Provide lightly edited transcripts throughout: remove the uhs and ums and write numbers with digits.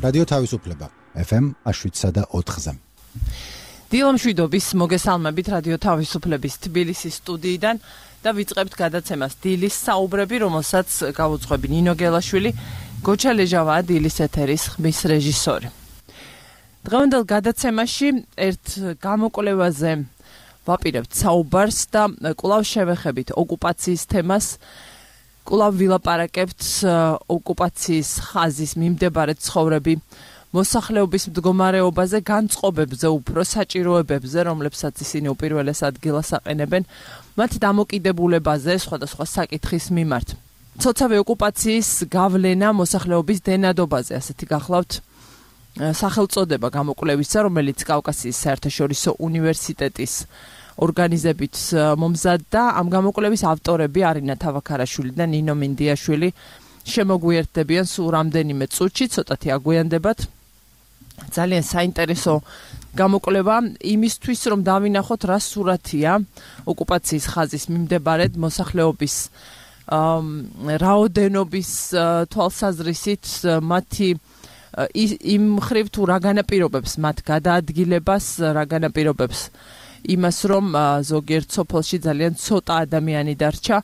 რადიო თავისუფლება FM 107.4-ზე. დილამშვიდობის მოგესალმებით რადიო თავისუფლების თბილისის სტუდიიდან და ვიწყებთ გადაცემას დილის საუბრები, რომელსაც გავუძღვები ნინო გელაშვილი, გოჩა ლეჟავაა დილის ეთერის ხმის რეჟისორი. დღევანდელ გადაცემაში ერთ გამოკვლევაზე ვაპირებთ საუბარს და კვლავ შევეხებით ოკუპაციის თემას. კვლავ ვილაპარაკებთ ოკუპაციის ხაზის მიმდებარე ცხოვრები, მოსახლეობის მდგომარეობაზე, განწყობებზე, უფრო საჭიროებებზე, რომლებსაც ისინი უპირველეს ადგილას აყენებენ, მათ დამოკიდებულებაზე, სხვადასხვა საკითხის მიმართ. ცოცავი ოკუპაციის გავლენა მოსახლეობის დენადობაზე, ასეთი გახლავთ სახელწოდება გამოკვლევისა, რომელიც კავკასიის საერთაშორისო უნივერსიტეტის ორგანიზებით მომზადდა. ამ გამოკვლევის ავტორები არინა თავაქარაშვილი და ნინო მინდიაშვილი შემოგვიერთდებიან სულ რამდენიმე წუთში, ცოტათი აგვიანდებათ. ძალიან საინტერესო გამოკვლევა იმისთვის, რომ დავინახოთ რა სურათია ოკუპაციის ხაზის მიმდებარედ მოსახლეობის რაოდენობის თვალსაზრისით, მათი იმ მხრივ თუ რა განაპირობებს მათ გადაადგილებას, რა განაპირობებს იმას, რომ ზოგიერთ სოფელში ძალიან ცოტა ადამიანი დარჩა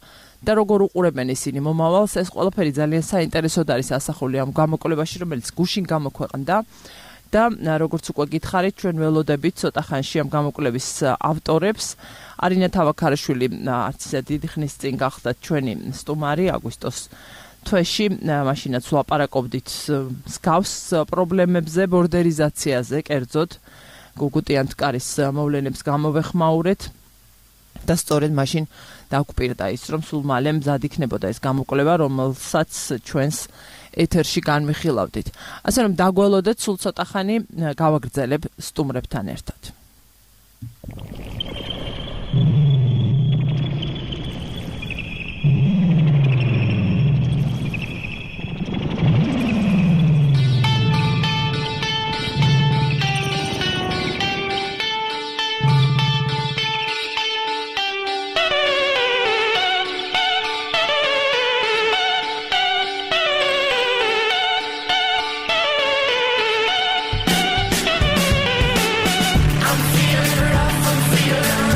და როგორ უყურებენ ისინი მომავალს. ეს ყველაფერი ძალიან საინტერესოდ არის ასახული ამ გამოკვლევაში, რომელიც გუშინ გამოქვეყნდა და როგორც უკვე გითხარით, ჩვენ ველოდებით ცოტა ხანში ამ გამოკვლევის ავტორებს. არინა თავაქარაშვილი არც ისე დიდი ხნის წინ გახდათ ჩვენი სტუმარი აგვისტოს თვეში, მაშინაც ვლაპარაკობდით მსგავს პრობლემებზე, ბორდერიზაციაზე, კერძოდ გუგუტიანთკარის მოვლენებს გამოვეხმაურეთ და სწორედ მაშინ დაგვპირდა ის, რომ სულ მალე მზად იქნებოდა ეს გამოკვლევა, რომელსაც ჩვენს ეთერში განვიხილავდით. ასე რომ დაგველოდეთ, სულ ცოტა ხანი გავაგრძელებ სტუმრებთან ერთად. I'm feeling rough, I'm feeling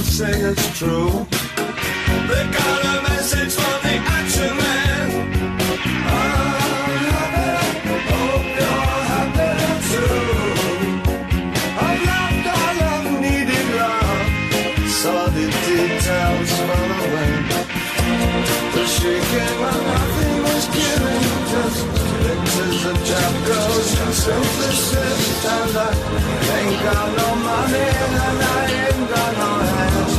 don't say it's true. They got a message from the action man. Hope you're happy too. I've loved all I've needed love. Saw the details fall away. The shaking when nothing was given. Just pictures of job goes and synthesis. And I ain't got no money and I ain't got no hands.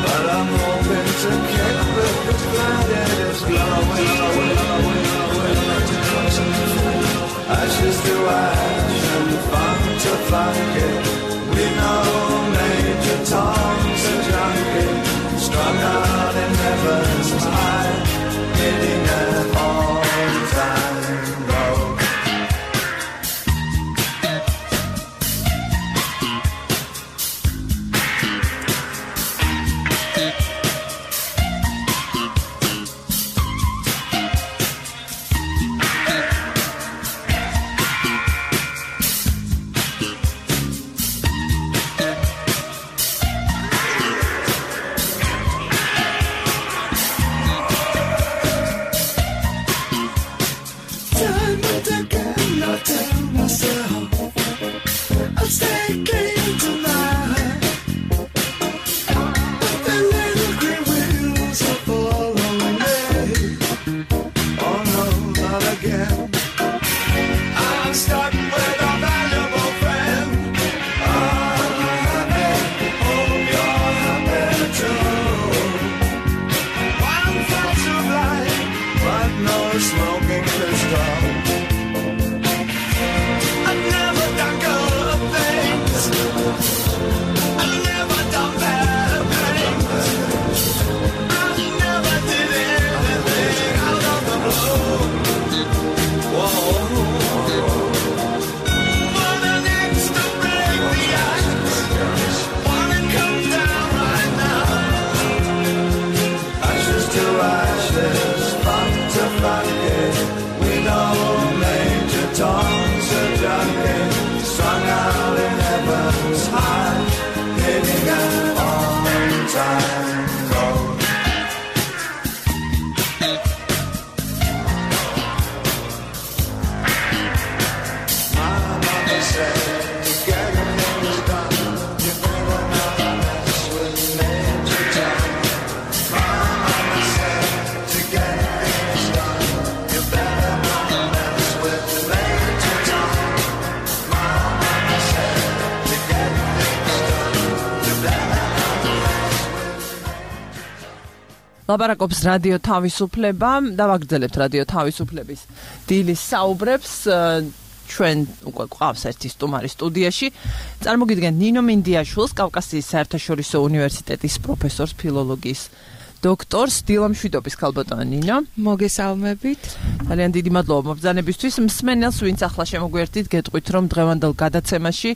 But I'm hoping to kick the planet is glowing. Ashes to ash and funk to funky. We know Major Tom's a junkie, strung out in heaven's high, hitting an all-time low. ლაპარაკობს რადიო თავისუფლება და ვაგრძელებთ რადიო თავისუფლების დილის საუბრებს. ჩვენ უკვე გვყავს ერთი სტუმარი სტუდიაში. წარმოგიდგენთ ნინო მინდიაშვილს, კავკასიის საერთაშორისო უნივერსიტეტის პროფესორს, ფილოლოგიის დოქტორს, დილამშვიდობის ქალბატონო ნინო. მოგესალმებით. ძალიან დიდი მადლობა მობრძანებისთვის. მსმენელს, ვინც ახლა შემოგვერთით, გეტყვით, რომ დღევანდელ გადაცემაში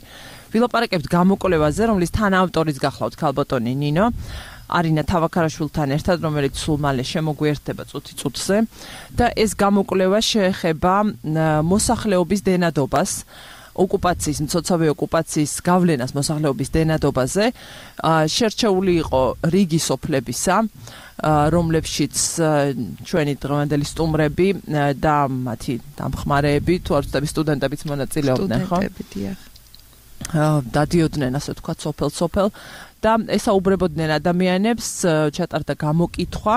ვილაპარაკებთ გამოკვლევაზე, რომლის თანაავტორიც გახლავთ ქალბატონი ნინო. არინა თავაქარაშვილთან ერთად, რომელიც სულ მალე შემოგვიერთდება წუთი-წუთზე და ეს გამოკვლევა შეეხება მოსახლეობის დენადობას, ოკუპაციის, მცოცავი ოკუპაციის გავლენას მოსახლეობის დენადობაზე. შერჩეული იყო რიგი სოფლებისა, რომლებშიც ჩვენი დღევანდელი სტუმრები და მათი დამხმარეები, თუ არ ვცდები, სტუდენტებიც მონაწილეობდნენ, ხო? სტუდენტები, დიახ. დადიოდნენ, ასე ვთქვათ, სოფელ-სოფელ და ესაუბრებოდნენ ადამიანებს, ჩატარდა გამოკითხვა.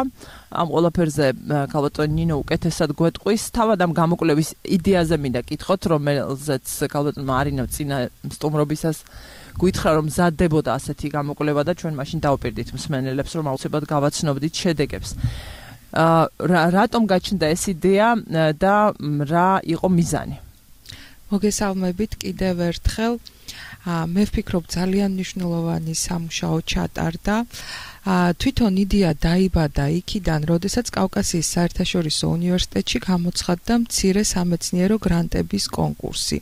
ამ ყველაფერზე ქალბატონი ნინო უკეთესად გვეტყვის. თავად ამ გამოკვლევის იდეაზე მინდა კითხოთ, რომელზეც ქალბატონმა არინო წინა სტუმრობისას გითხრა, რომ მზადდებოდა ასეთი გამოკვლევა და ჩვენ მაშინ დავუპირდით მსმენელებს, რომ აუცილებლად გავაცნობდით შედეგებს. რატომ გაჩნდა ეს იდეა და რა იყო მიზანი? მოგესალმებით კიდევ ერთხელ. მე ვფიქრობ ძალიან მნიშვნელოვანი სამუშაო ჩატარდა. თვითონ იდეა დაიბადა იქიდან, როდესაც კავკასიის საერთაშორისო უნივერსიტეტში გამოცხადდა მცირე სამეცნიერო გრანტების კონკურსი.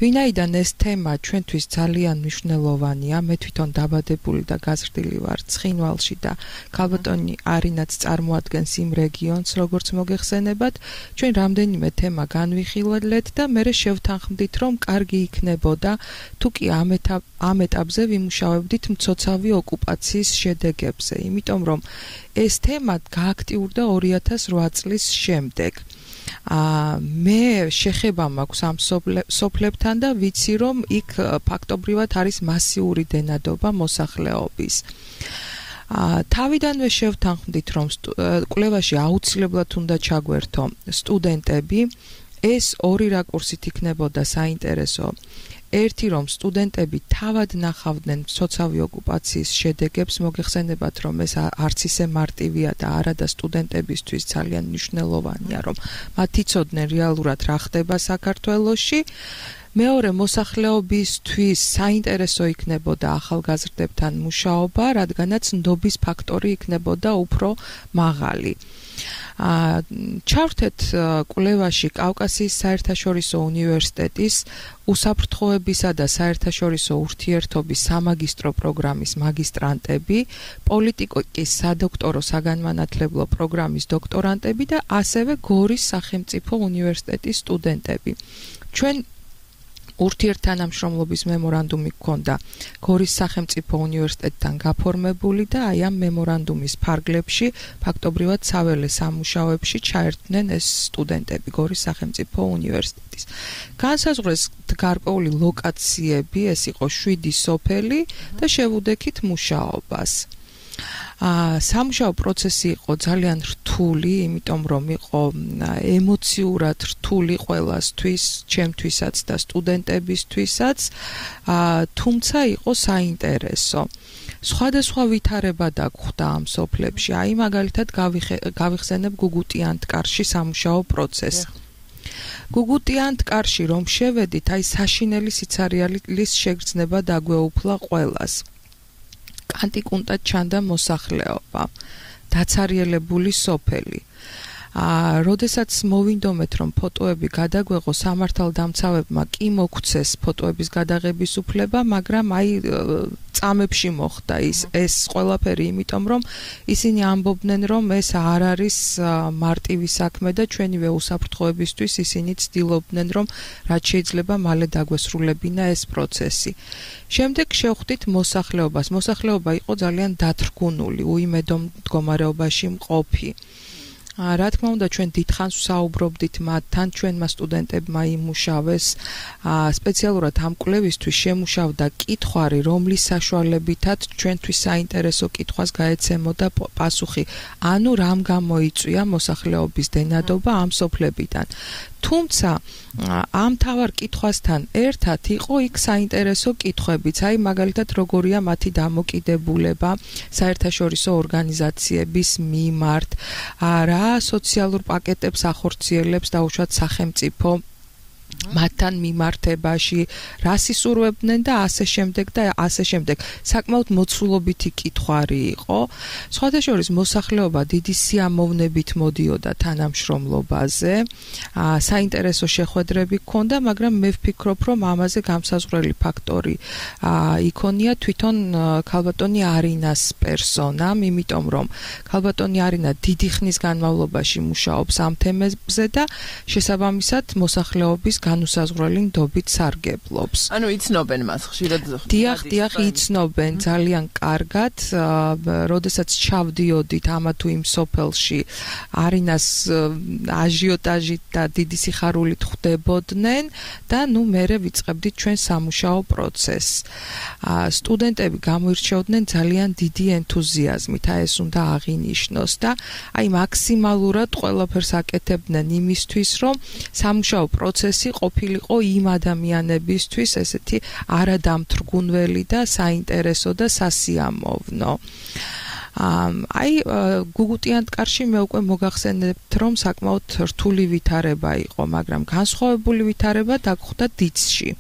ვინაიდან ეს თემა ჩვენთვის ძალიან მნიშვნელოვანია, მე თვითონ დაბადებული და გაზრდილი ვარ ცხინვალში და ქალბატონი არინაც წარმოადგენს იმ რეგიონს, როგორც მოგეხსენებათ, ჩვენ რამდენიმე თემა განვიხილეთ და მე შევთანხმდით, რომ კარგი იქნებოდა თუ კი ამ ეტაპზე ვიმუშავებდით მცოცავი ოკუპაციის შედეგებზე, იმიტომ რომ ეს თემა გააქტიურდა 2008 წლის შემდეგ. მე შეხება მაქვს ამ სოფლებთან და ვიცი რომ იქ ფაქტობრივად არის მასიური დენადობა მოსახლეობის. თავიდანვე შევთანხმდით რომ კვლევაში აუცილებლად უნდა ჩაგვერთო სტუდენტები, ეს ორი რაკურსით იქნებოდა საინტერესო. ერთი რომ სტუდენტები თავად ნახავდნენ მცოცავი ოკუპაციის შედეგებს, მოგეხსენებათ რომ ეს არც ისე მარტივია და არადა სტუდენტებისთვის ძალიან მნიშვნელოვანია რომ მათ იცოდნენ რეალურად რა ხდება საქართველოში. მეორე მოსახლეობისთვის საინტერესო იქნებოდა ახალგაზრდებთან მუშაობა, რადგანაც ნდობის ფაქტორი იქნებოდა უფრო მაღალი. ჩავრთეთ კვლევაში კავკასიის საერთაშორისო უნივერსიტეტის უსაფრთხოებისა და საერთაშორისო ურთიერთობის სამაგისტრო პროგრამის მაგისტრანტები, პოლიტიკის სადოქტორო საგანმანათლებლო პროგრამის დოქტორანტები და ასევე გორის სახელმწიფო უნივერსიტეტის სტუდენტები. ჩვენ ურთიერთთანამშრომლობის მემორანდუმი გქონდა გორის სახელმწიფო უნივერსიტეტთან გაფორმებული და აი ამ მემორანდუმის ფარგლებში ფაქტობრივად საველე სამუშაოებში ჩაერთვნენ ეს სტუდენტები გორის სახელმწიფო უნივერსიტეტის. განსაზღვრეს გარკვეული ლოკაციები, ეს იყო 7 სოფელი და შევუდექით მუშაობას. სამუშაო პროცესი იყო ძალიან რთული, იმიტომ რომ იყო ემოციურად რთული ყველასთვის, ჩემთვისაც და სტუდენტებისთვისაც, თუმცა იყო საინტერესო. სხვადასხვა ვითარება დაგხვდა ამ სოფლებში. აი მაგალითად გავიხსენებ გუგუტიანთკარში სამუშაო პროცესს. გუგუტიანთკარში რომ შევედით, აი საშინელი სიცარიალის შეგრძნება დაგვეუფლა ყველას. კანტიკუნტად ჩანდა მოსახლეობა, დაცარიელებული სოფელი. როდესაც მოვინდომეთ რომ ფოტოები გადაგვეღო, სამართალდამცავებმა კი მოგცეს ფოტოების გადაღების უფლება, მაგრამ აი წამებში მოხდა ეს ყველაფერი, იმიტომ რომ ისინი ამბობდნენ რომ ეს არ არის მარტივი საქმე და ჩვენივე უსაფრთხოებისთვის ისინი ცდილობდნენ რომ რაც შეიძლება მალე დაგვესრულებინა ეს პროცესი. შემდეგ შევხვდით მოსახლეობას. მოსახლეობა იყო ძალიან დათრგუნული, უიმედო მდგომარეობაში მყოფი. რა თქმა უნდა ჩვენ დიდხანს ვსაუბრობდით მათთან, ჩვენმა სტუდენტებმა იმუშავეს, სპეციალურად ამ კვლევისთვის შემუშავდა კითხვარი, რომლის საშუალებითაც ჩვენთვის საინტერესო კითხვას გაეცემოდა პასუხი, ანუ რამ გამოიწვია მოსახლეობის დენადობა ამ სოფლებიდან. თუმცა ამ თავარ კითხვასთან ერთად იყო იქ საინტერესო კითხვებიც, აი მაგალითად როგორია მათი დამოკიდებულება საერთაშორისო ორგანიზაციების მიმართ, რა სოციალურ პაკეტებს ახორციელებს დაუშვათ სახელმწიფო მათთან მიმართებაში, რა სისურვებდნენ და ასე შემდეგ და ასე შემდეგ. საკმაოდ მოცულობითი კითხვარი იყო. სხვადასხვა მოსახლეობა დიდი სიამოვნებით მოდიოდა თანამშრომლობაზე. საინტერესო შეხვედრები ჰქონდა, მაგრამ მე ვფიქრობ, რომ ამაზე გამსაზღვრელი ფაქტორი იქონია თვითონ ქალბატონი არინას პერსონამ, იმიტომ რომ ქალბატონი არინა დიდი ხნის განმავლობაში მუშაობს ამ თემებზე და შესაბამისად მოსახლეობის განუსაზღვრელი ნდობით სარგებლობს. ანუ იცნობენ მას ხშირად. დიახ, იცნობენ ძალიან კარგად. როდესაც ჩავდიოდით ამა თუ იმ სოფელში, არინას აჟიოტაჟით და დიდი სიხარულით ხვდებოდნენ და მერე ვიწყებდით ჩვენ სამუშაო პროცესს. სტუდენტები გამოირჩეოდნენ ძალიან დიდი ენთუზიაზმით, ეს უნდა აღინიშნოს და აი მაქსიმალურად ყველაფერს აკეთებდნენ იმისთვის, რომ სამუშაო პროცესი ყოფილიყო იმ ადამიანებისთვის ესეთი არადამთრგუნველი და საინტერესო და სასიამოვნო. აი გუგუტიანთკარში მე უკვე მოგახსენებთ რომ საკმაოდ რთული ვითარება იყო, მაგრამ განსხვავებული ვითარება დაგხვდა დიცში.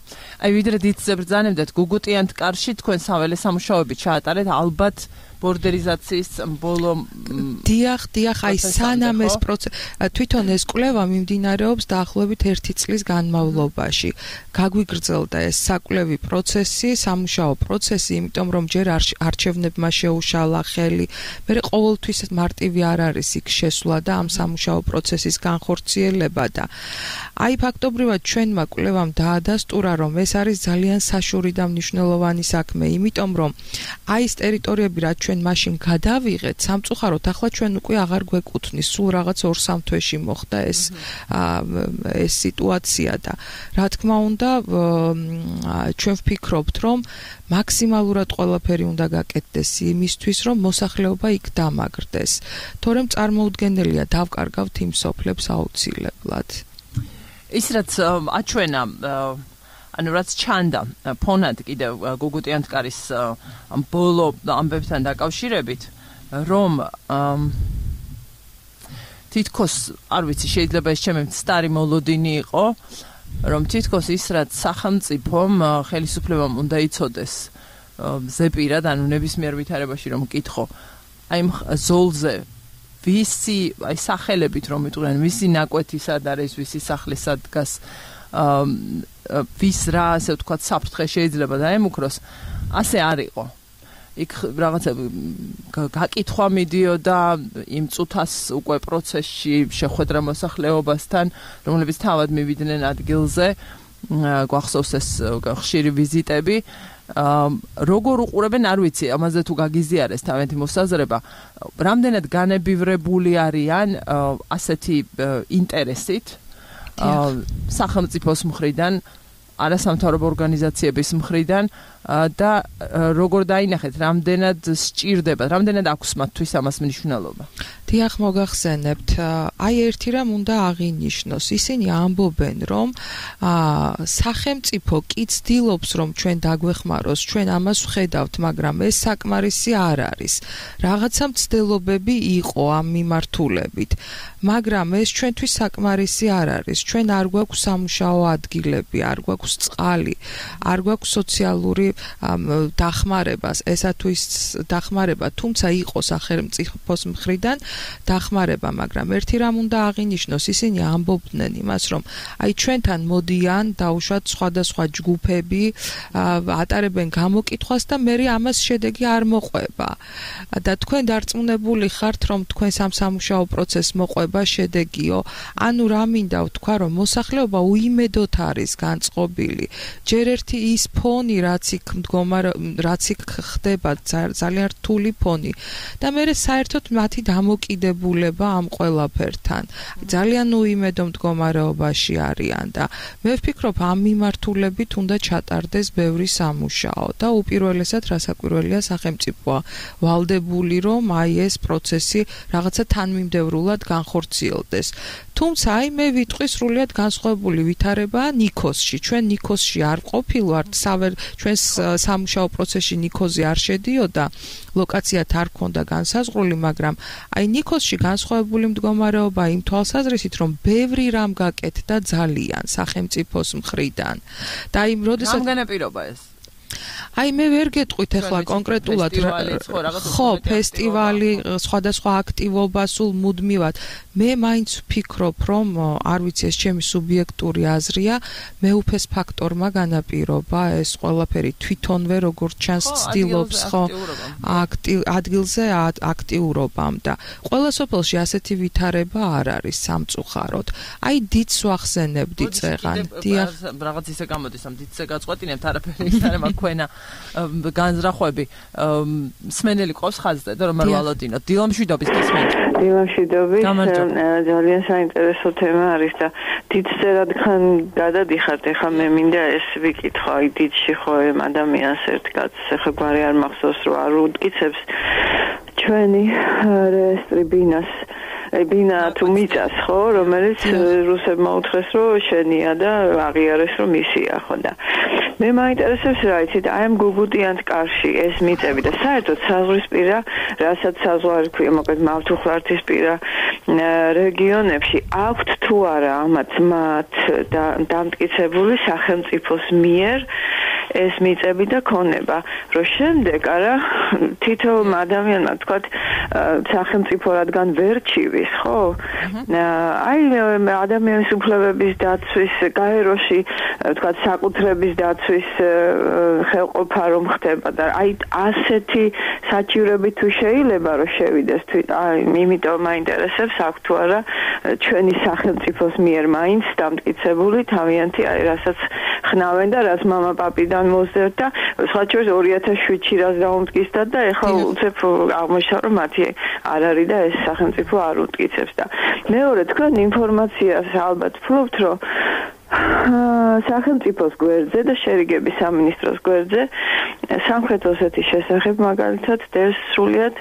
აი ვიდრე დიცზე ბრძანებდეთ, გუგუტიანთკარში თქვენ საველე სამუშაოები ჩაატარეთ, ალბათ ბორდერიზაციის ბოლო დიახ, აი სანამ ეს თვითონ ეს კვლევა მიმდინარეობს დაახლოებით 1 წლის განმავლობაში. გაგვიგრძელდა ეს საკვლევი პროცესი, სამუშაო პროცესი, იმიტომ რომ ჯერ არჩევნებმა შეუშალა ხელი, მე ყოველთვის მარტივი არ არის იქ შესვლა და ამ სამუშაო პროცესის განხორციელება და აი ფაქტობრივად ჩვენმა კვლევამ დაადასტურა, რომ ეს არის ძალიან საშუალო და მნიშვნელოვანი საქმე, იმიტომ რომ აი ეს ტერიტორიები რაც ჩვენ მაშინ გადავიღეთ, სამწუხაროდ ახლა ჩვენ უკვე აღარ გვეკუთვნის, სულ რაღაც 2-3 თვეში მოხდა ეს სიტუაცია და რა თქმა უნდა ჩვენ ვფიქრობთ, რომ მაქსიმალურად ყველაფერი უნდა გაკეთდეს იმისთვის, რომ მოსახლეობა იქ დამაგრდეს. თორემ წარმოუდგენელია დავკარგავთ იმ სოფლებს აუცილებლად. ის რაც აჩვენა ანუ რაც ჩანდა ფონად კიდევ გუგუტიანთკარის ბოლო ამბებთან დაკავშირებით, რომ თითქოს არ ვიცი, შეიძლება ეს ჩემი სტარი მოლოდინი იყო, რომ თითქოს ის რაც სახელმწიფომ ხელისუფლებამ უნდა იცოდეს ზეპირად, ანუ ნებისმიერ ვითარებაში რომ მკითხო, აი ზოლზე ვისი აი სახელებით რომ იტყვიან, ვისი ნაკვეთი სად არის, ვისი სახლი სად დგას, ვის რა ასე ვთქვათ საფრთხე შეიძლება დაემუქროს, ასე არ იყო. იქ რაღაცა გაკითხვა მიდიოდა იმ წუთას უკვე პროცესში შეხვედრა მოსახლეობასთან, რომლებიც თავად მივიდნენ ადგილზე, გვახსოვს ეს ხშირი ვიზიტები. როგორ უყურებენ, არ ვიცი, ამაზე თუ გაგიზიარეს თავიანთი მოსაზრება, რამდენად განებივრებული არიან ასეთი ინტერესით სახელმწიფოს მხრიდან, არასამთავრობო ორგანიზაციების მხრიდან და როგორ დაინახეთ, რამდენად სჭირდება, რამდენად აქვს მათთვის ამას მნიშვნელობა. დიახ, მოგახსენებთ, აი ერთი რამ უნდა აღინიშნოს, ისინი ამბობენ, რომ სახელმწიფო კი ცდილობს, რომ ჩვენ დაგვეხმაროს, ჩვენ ამას ვხედავთ, მაგრამ ეს საკმარისი არ არის. რაღაცა მცდელობები იყო ამ მიმართულებით, მაგრამ ეს ჩვენთვის საკმარისი არ არის. ჩვენ არ გვაქვს სამუშაო ადგილები, არ გვაქვს წყალი, არ გვაქვს სოციალური დახმარებას, ესა თუ ის დახმარება, თუმცა იყო სახელმწიფოს მხრიდან დახმარება, მაგრამ ერთი რამ უნდა აღინიშნოს, ისინი ამბობდნენ იმას, რომ აი ჩვენთან მოდიან დაუშვათ სხვადასხვა ჯგუფები, ატარებენ გამოკითხვას და მე ამას შედეგი არ მოყვება. და თქვენ დარწმუნებული ხართ, რომ თქვენ სამუშაო პროცესს მოყვება შედეგიო? ანუ რა მინდა ვთქვა, რომ მოსახლეობა უიმედოდ არის განწყობილი. ჯერ ერთი ის ფონი, რაც იქ ხდება, ძალიან რთული ფონი და მე საერთოდ მათი დამოკიდებულება ამ ყველაფერთან ძალიან უიმედო მდგომარეობაში არიან და მე ვფიქრობ ამ მიმართულებით უნდა ჩატარდეს ბევრი სამუშაო და უპირველესად რასაკვირველია სახელმწიფოა ვალდებული, რომ აი ეს პროცესი რაღაცა თანმიმდევრულად განხორციელდეს. თუმცა აი მე ვიტყვი სრულიად განსხვავებული ვითარება ნიქოსში. ჩვენ ნიქოსში არ ყოფილვართ, ჩვენ სამუშაო პროცესში ნიქოზი არ შედიოდა, ლოკაციათ არ ქონდა განსაზღვრული, მაგრამ აი ნიქოსში განსხვავებული მდგომარეობა იმ თვალსაზრისით, რომ ბევრი რამ გაკეთდა ძალიან სახელმწიფოს მხრიდან. და აი როდესაც რამ განაპირობა ეს? აი მე ვერ გეტყვით ახლა კონკრეტულად ხო ფესტივალი სხვადასხვა აქტივობა სულ მუდმივად მე მაინც ვფიქრობ რომ არ ვიცი ეს ჩემი სუბიექტური აზრია მეუფეს ფაქტორმა განაპირობა ეს ყველაფერი თვითონვე როგორც ჩანს ცდილობს ხო ადგილზე აქტიურობამ და ყველა სოფელში ასეთი ვითარება არ არის სამწუხაროდ აი დიდს ვახსენებდი წეღან დიახ რაღაც ისე გამოდის ამ დიდზე გაწყვეტინებთ არაფერი არ მაქვს ქვენა განზრახვები მსმენელი ყავს ხაზზე და რომ არ ვალოდინოთ დილამშვიდობის გისმენთ დილამშვიდობის ძალიან საინტერესო თემა არის და დიდზე რადგან გადადიხართ ახლა მე მინდა ეს ვიკითხო აი დიდში ხო ადამიანს ერთ კაცს ახლა გვარი არ მახსოვს რომ არ უდკიცებს ჩვენი რესტრიბინას ბინა თუ მიწას ხო რომელიც რუსებმა უთხრეს რომ შენია და აღიარეს რომ ისია ხო და მე მაინტერესებს რა იცით აი ამ გუგუტიანთკარში ეს მიწები და საერთოდ საზღვრისპირა რასაც საზღვარი ქვია მოკლედ მავთუხლართისპირა რეგიონებში აქვთ თუ არა ამათ მათ დამტკიცებული სახელმწიფოს მიერ ეს მიწები და ქონება, რომ შემდეგ არა თითოეულ ადამიანმა თქვათ სახელმწიფო რადგან ვერ ჩივის, ხო? აი ადამიანის უფლებების დაცვის გაეროში თქვათ საკუთრების დაცვის ხელყოფა რომ ხდება და აი ასეთი საჭიროები თუ შეიძლება რომ შევიდეს აი იმიტომ მაინტერესებს აქ თუ არა ჩვენი სახელმწიფოს მიერ მაინც დამტკიცებული თავიანთი აი რასაც ხნავენ და რაც მამა პაპიდან მოსდევთ და სხვა შორის 2007-ში რაც დაუმტკიცდა და ეხლა უცებ აღმოჩნდა რომ მათი არ არის და ეს სახელმწიფო არ უტკიცებს და მეორე თქვენ ინფორმაციას ალბათ ფლობთ რომ სახელმწიფოს გვერდზე და შერიგების სამინისტროს გვერდზე სამხრეთ ოსეთის შესახებ მაგალითად დევს სრულიად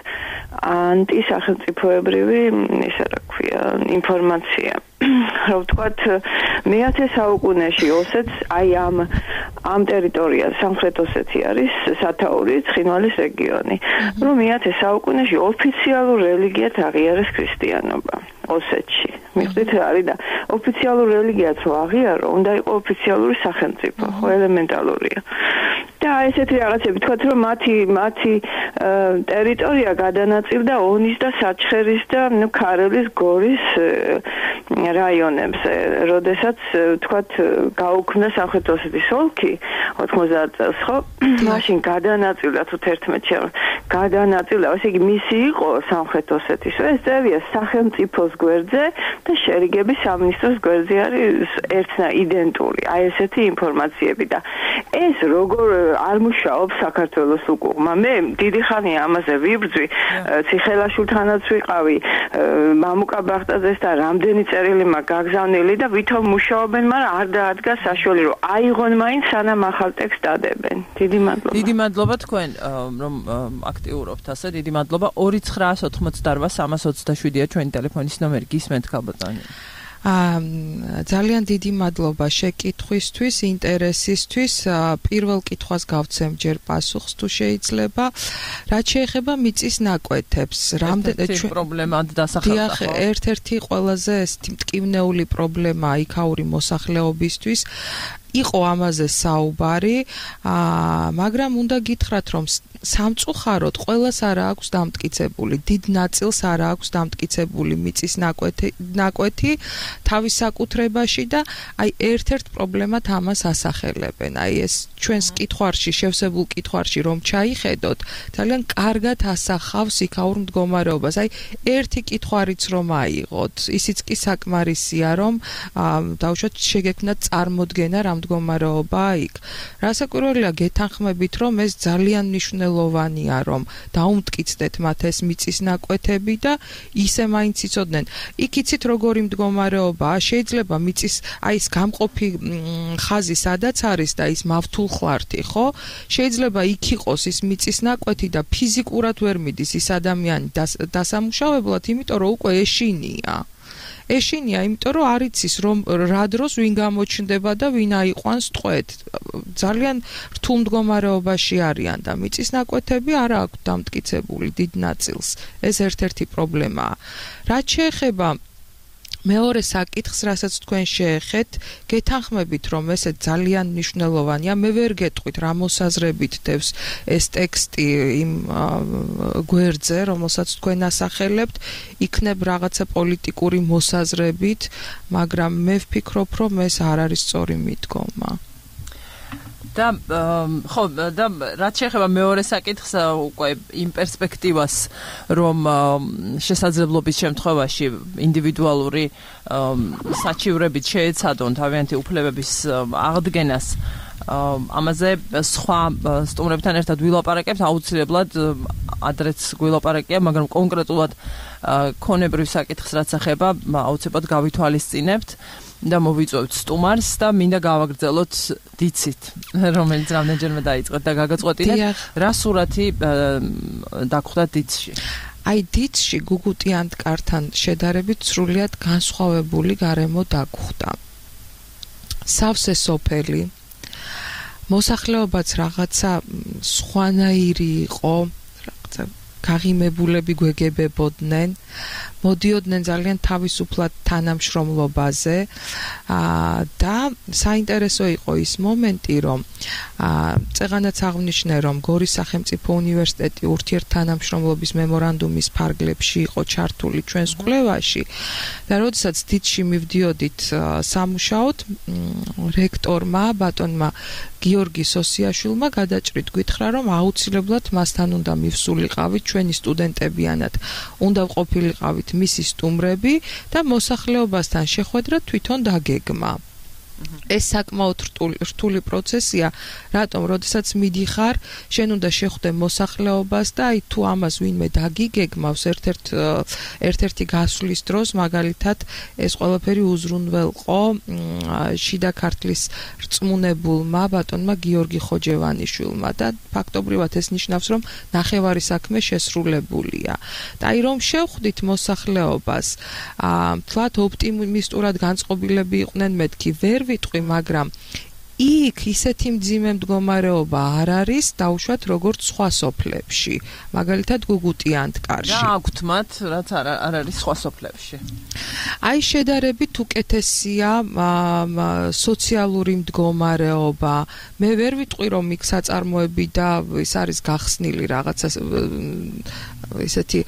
ანტისახელმწიფოებრივი ისა რა ქვია ინფორმაცია რომ ვთქვათ მე-10 საუკუნეში ოსეთს აი ამ ტერიტორიაზე სამხრეთ ოსეთი არის სათაური ცხინვალის რეგიონი რომ მე-10 საუკუნეში ოფიციალურ რელიგიად აღიარეს ქრისტიანობა ოსეთში მიხდით რა არის და ოფიციალურ რელიგიად რო აღიარო უნდა იყოს ოფიციალური სახელმწიფო ხო ელემენტალურია და ესეთი რაღაცები თქვათ რომ მათი ტერიტორია გადანაწილდა ონის და საჩხერის და ქარელის გორის რაიონებზე როდესაც თქვათ გაუქმდა სამხრეთ ოსეთის ოლქი 90 წელს ხო მაშინ გადანაწილდა თუ 11-ში გადანაწილდა ესე იგი მისი იყო სამხრეთ ოსეთის ეს წერია სახელმწიფოს გვერდზე და შერიგების სამინისტროს გვერდზე არის ერთნა იდენტური აი ესეთი ინფორმაციები და ეს როგორ არ მუშაობს საქართველოს უკუღმა მე დიდი ხანია ამაზე ვიბრძვი ციხელაშვილთანაც ვიყავი მამუკა ბახტაძესთან რამდენი წერილი მაქვს გაგზავნილი და ვითომ მუშაობენ მაგრამ არ დაადგა საშუალება რომ აიღონ მაინც სანამ ახალ ტექსტს დადებენ დიდი მადლობა თქვენ რომ აქტიურობთ ასე დიდი მადლობა 2988-327-ია ჩვენი ტელეფონის ნომერი გისმენთ ქალბატონი ძალიან დიდი მადლობა შეკითხვისთვის, ინტერესისთვის. პირველ კითხვას გავცემ ჯერ პასუხს თუ შეიძლება. რაც შეეხება მიწის ნაკვეთებს, რამდენი პრობლემად დასახელდა ხო? ერთ-ერთი ყველაზე მტკივნეული პრობლემა იქაური მოსახლეობისთვის იყო ამაზე საუბარი, მაგრამ უნდა გითხრათ, რომ სამწუხაროდ ყველას არ აქვს დამტკიცებული, დიდ ნაწილს არ აქვს დამტკიცებული მიწის ნაკვეთი თავის საკუთრებაში და აი ერთ-ერთ პრობლემად ამას ასახელებენ. აი ეს ჩვენს კითხვარში, შევსებულ კითხვარში რომ ჩაიხედოთ, ძალიან კარგად ასახავს იქაურ მდგომარეობას. აი ერთი კითხვარიც რომ აიღოთ, ისიც კი საკმარისია, რომ დავუშვათ შეგექმნათ წარმოდგენა რა მდგომარეობა იქ. რასაკვირველია გეთანხმებით, რომ ეს ძალიან მნიშვნელოვანია, რომ დაუმტკიცდეთ მათ ეს მიწის ნაკვეთები და ისე მაინც იცოდნენ. იქ იცით როგორი მდგომარეობაა, შეიძლება მიწის აი ეს გამყოფი ხაზი სადაც არის და ის მავთულხვართი, ხო? შეიძლება იქ იყოს ის მიწის ნაკვეთი და ფიზიკურად ვერ მიდის ის ადამიანი დასამუშავებლად, იმიტომ რომ უკვე ეშინია. ეშინია, იმიტომ რომ არ იცის რომ რა დროს ვინ გამოჩნდება და ვინ აიყვანს ტყვედ. ძალიან რთულ მდგომარეობაში არიან და მიწის ნაკვეთები არ აქვთ დამტკიცებული დიდ ნაწილს. ეს ერთ-ერთი პრობლემაა. რაც შეეხება მეორე საკითხს, რასაც თქვენ შეეხეთ, გეთანხმებით, რომ ესე ძალიან მნიშვნელოვანია. მე ვერ გეტყვით, რა მოსაზრებით დევს ეს ტექსტი იმ გვერდზე, რომელსაც თქვენ ასახელებთ, იქნებ რაღაცა პოლიტიკური მოსაზრებით, მაგრამ მე ვფიქრობ, რომ ეს არ არის სწორი მიდგომა. და ხო და რაც შეეხება მეორე საკითხს უკვე იმ პერსპექტივას რომ შესაძლებლობის შემთხვევაში ინდივიდუალური საჩივრებით შეეცადონ თავიანთი უფლებების აღდგენას ამაზე სხვა სტუმრებთან ერთად ვილაპარაკებთ აუცილებლად ადრეც გვილაპარაკია მაგრამ კონკრეტულად ქონებრივ საკითხს რაც ეხება აუცილებლად გავითვალისწინებთ და მოვიწვევთ სტუმარს და მინდა გავაგრძელოთ დიცით, რომელიც რამდენჯერმე დაიწყეთ და გაგაწყვეტინეთ, რა სურათი დაგხვდა დიცში. აი დიცში გუგუტიან მტკართან შედარებით სრულიად განსხვავებული გარემო დაგხვდა. სავსე სოფელი, მოსახლეობაც რაღაცა სხვანაირი იყო, რაღაცა გაღიმებულები გვეგებებოდნენ, მოდიოდნენ ძალიან თავისუფლად თანამშრომლობაზე და საინტერესო იყო ის მომენტი, რომ წეღანაც აღნიშნე, რომ გორის სახელმწიფო უნივერსიტეტი ურთიერთთანამშრომლობის მემორანდუმის ფარგლებში იყო ჩართული ჩვენს კვლევაში და როდესაც თითში მივდიოდით სამუშაოდ, რექტორმა, ბატონმა გიორგი სოსიაშვილმა გადაჭრით გითხრა, რომ აუცილებლად მასთან უნდა მივსულიყავით, ჩვენი სტუდენტებიანად უნდა ყოფილიყავით მისი სტუმრები და მოსახლეობასთან შეხვედრა თვითონ დაგეგმა. ეს საკმაოდ რთული პროცესია, რატომ, როდესაც მიდიხარ, შენ უნდა შეხვდე მოსახლეობას და აი თუ ამას ვინმე დაგიგეგმავს ერთ-ერთი გასვლის დროს, მაგალითად, ეს ყველაფერი უზრუნველყო შიდა ქართლის რწმუნებულმა ბატონმა გიორგი ხოჯევანიშვილმა და ფაქტობრივად ეს ნიშნავს, რომ ნახევარი საქმე შესრულებულია. და აი რომ შევხვდით მოსახლეობას, თლათ ოპტიმისტურად განწყობილები იყვნენ მეთქი, ვერ ვიტყვი, მაგრამ იქ ისეთი მძიმე მდგომარეობა არ არის, დაუშვათ როგორც სხვა სოფლებში, მაგალითად გუგუტიანთკარში. რა აქვთ მათ, რაც არ არის სხვა სოფლებში? აი შედარებით უკეთესია სოციალური მდგომარეობა. მე ვერ ვიტყვი, რომ იქ საწარმოები და ის არის გახსნილი რაღაცა ისეთი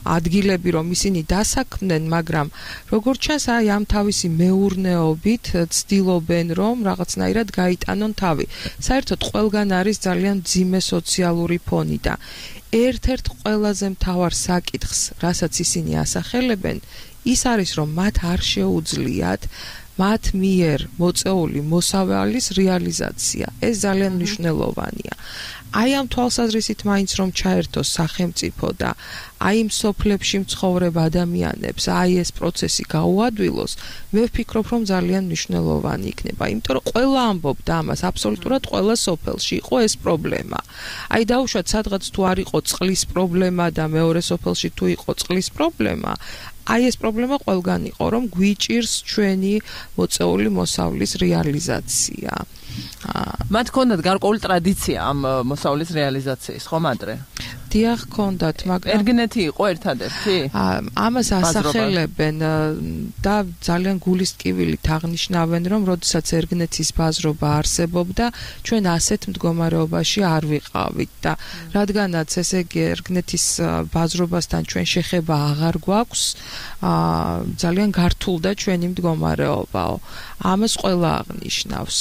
ადგილები, რომ ისინი დასაქმდნენ, მაგრამ როგორც ჩანს, აი ამ თავისი მეურნეობით ცდილობენ, რომ რაღაცნაირად გაიტანონ თავი. საერთოდ ყველგან არის ძალიან მძიმე სოციალური ფონი და ერთ-ერთ ყველაზე მთავარ საკითხს, რასაც ისინი ასახელებენ, ის არის, რომ მათ არ შეუძლიათ მათ მიერ მოწეული მოსავალის რეალიზაცია. ეს ძალიან მნიშვნელოვანია. აი ამ თვალსაზრისით მაინც რომ ჩაერთოს სახელმწიფო და აი იმ სოფლებში მცხოვრებ ადამიანებს აი ეს პროცესი გაუადვილოს, მე ვფიქრობ, რომ ძალიან მნიშვნელოვანი იქნება, იმიტომ რომ ყველა ამბობდა ამას, აბსოლუტურად ყველა სოფელში იყო ეს პრობლემა. აი დაუშვათ, სადღაც თუ არ იყო წყლის პრობლემა და მეორე სოფელში თუ იყო წყლის პრობლემა, აი ეს პრობლემა ყველგან იყო, რომ გვიჭირს ჩვენი მოწეული მოსავლის რეალიზაცია. მათ ჰქონდათ გარკვეული ტრადიცია ამ მოსავლის რეალიზაციის, ხომ ადრე? დიახ, ჰქონდათ, მაგრამ ერგნეთი იყო ერთადერთი? ამას ასახელებენ და ძალიან გულისტკივილით აღნიშნავენ, რომ როდესაც ერგნეთის ბაზრობა არსებობდა, ჩვენ ასეთ მდგომარეობაში არ ვიყავით და რადგანაც ესე იგი ერგნეთის ბაზრობასთან ჩვენ შეხება აღარ გვაქვს, ძალიან გართულდა ჩვენი მდგომარეობაო. ამას ყველა აღნიშნავს.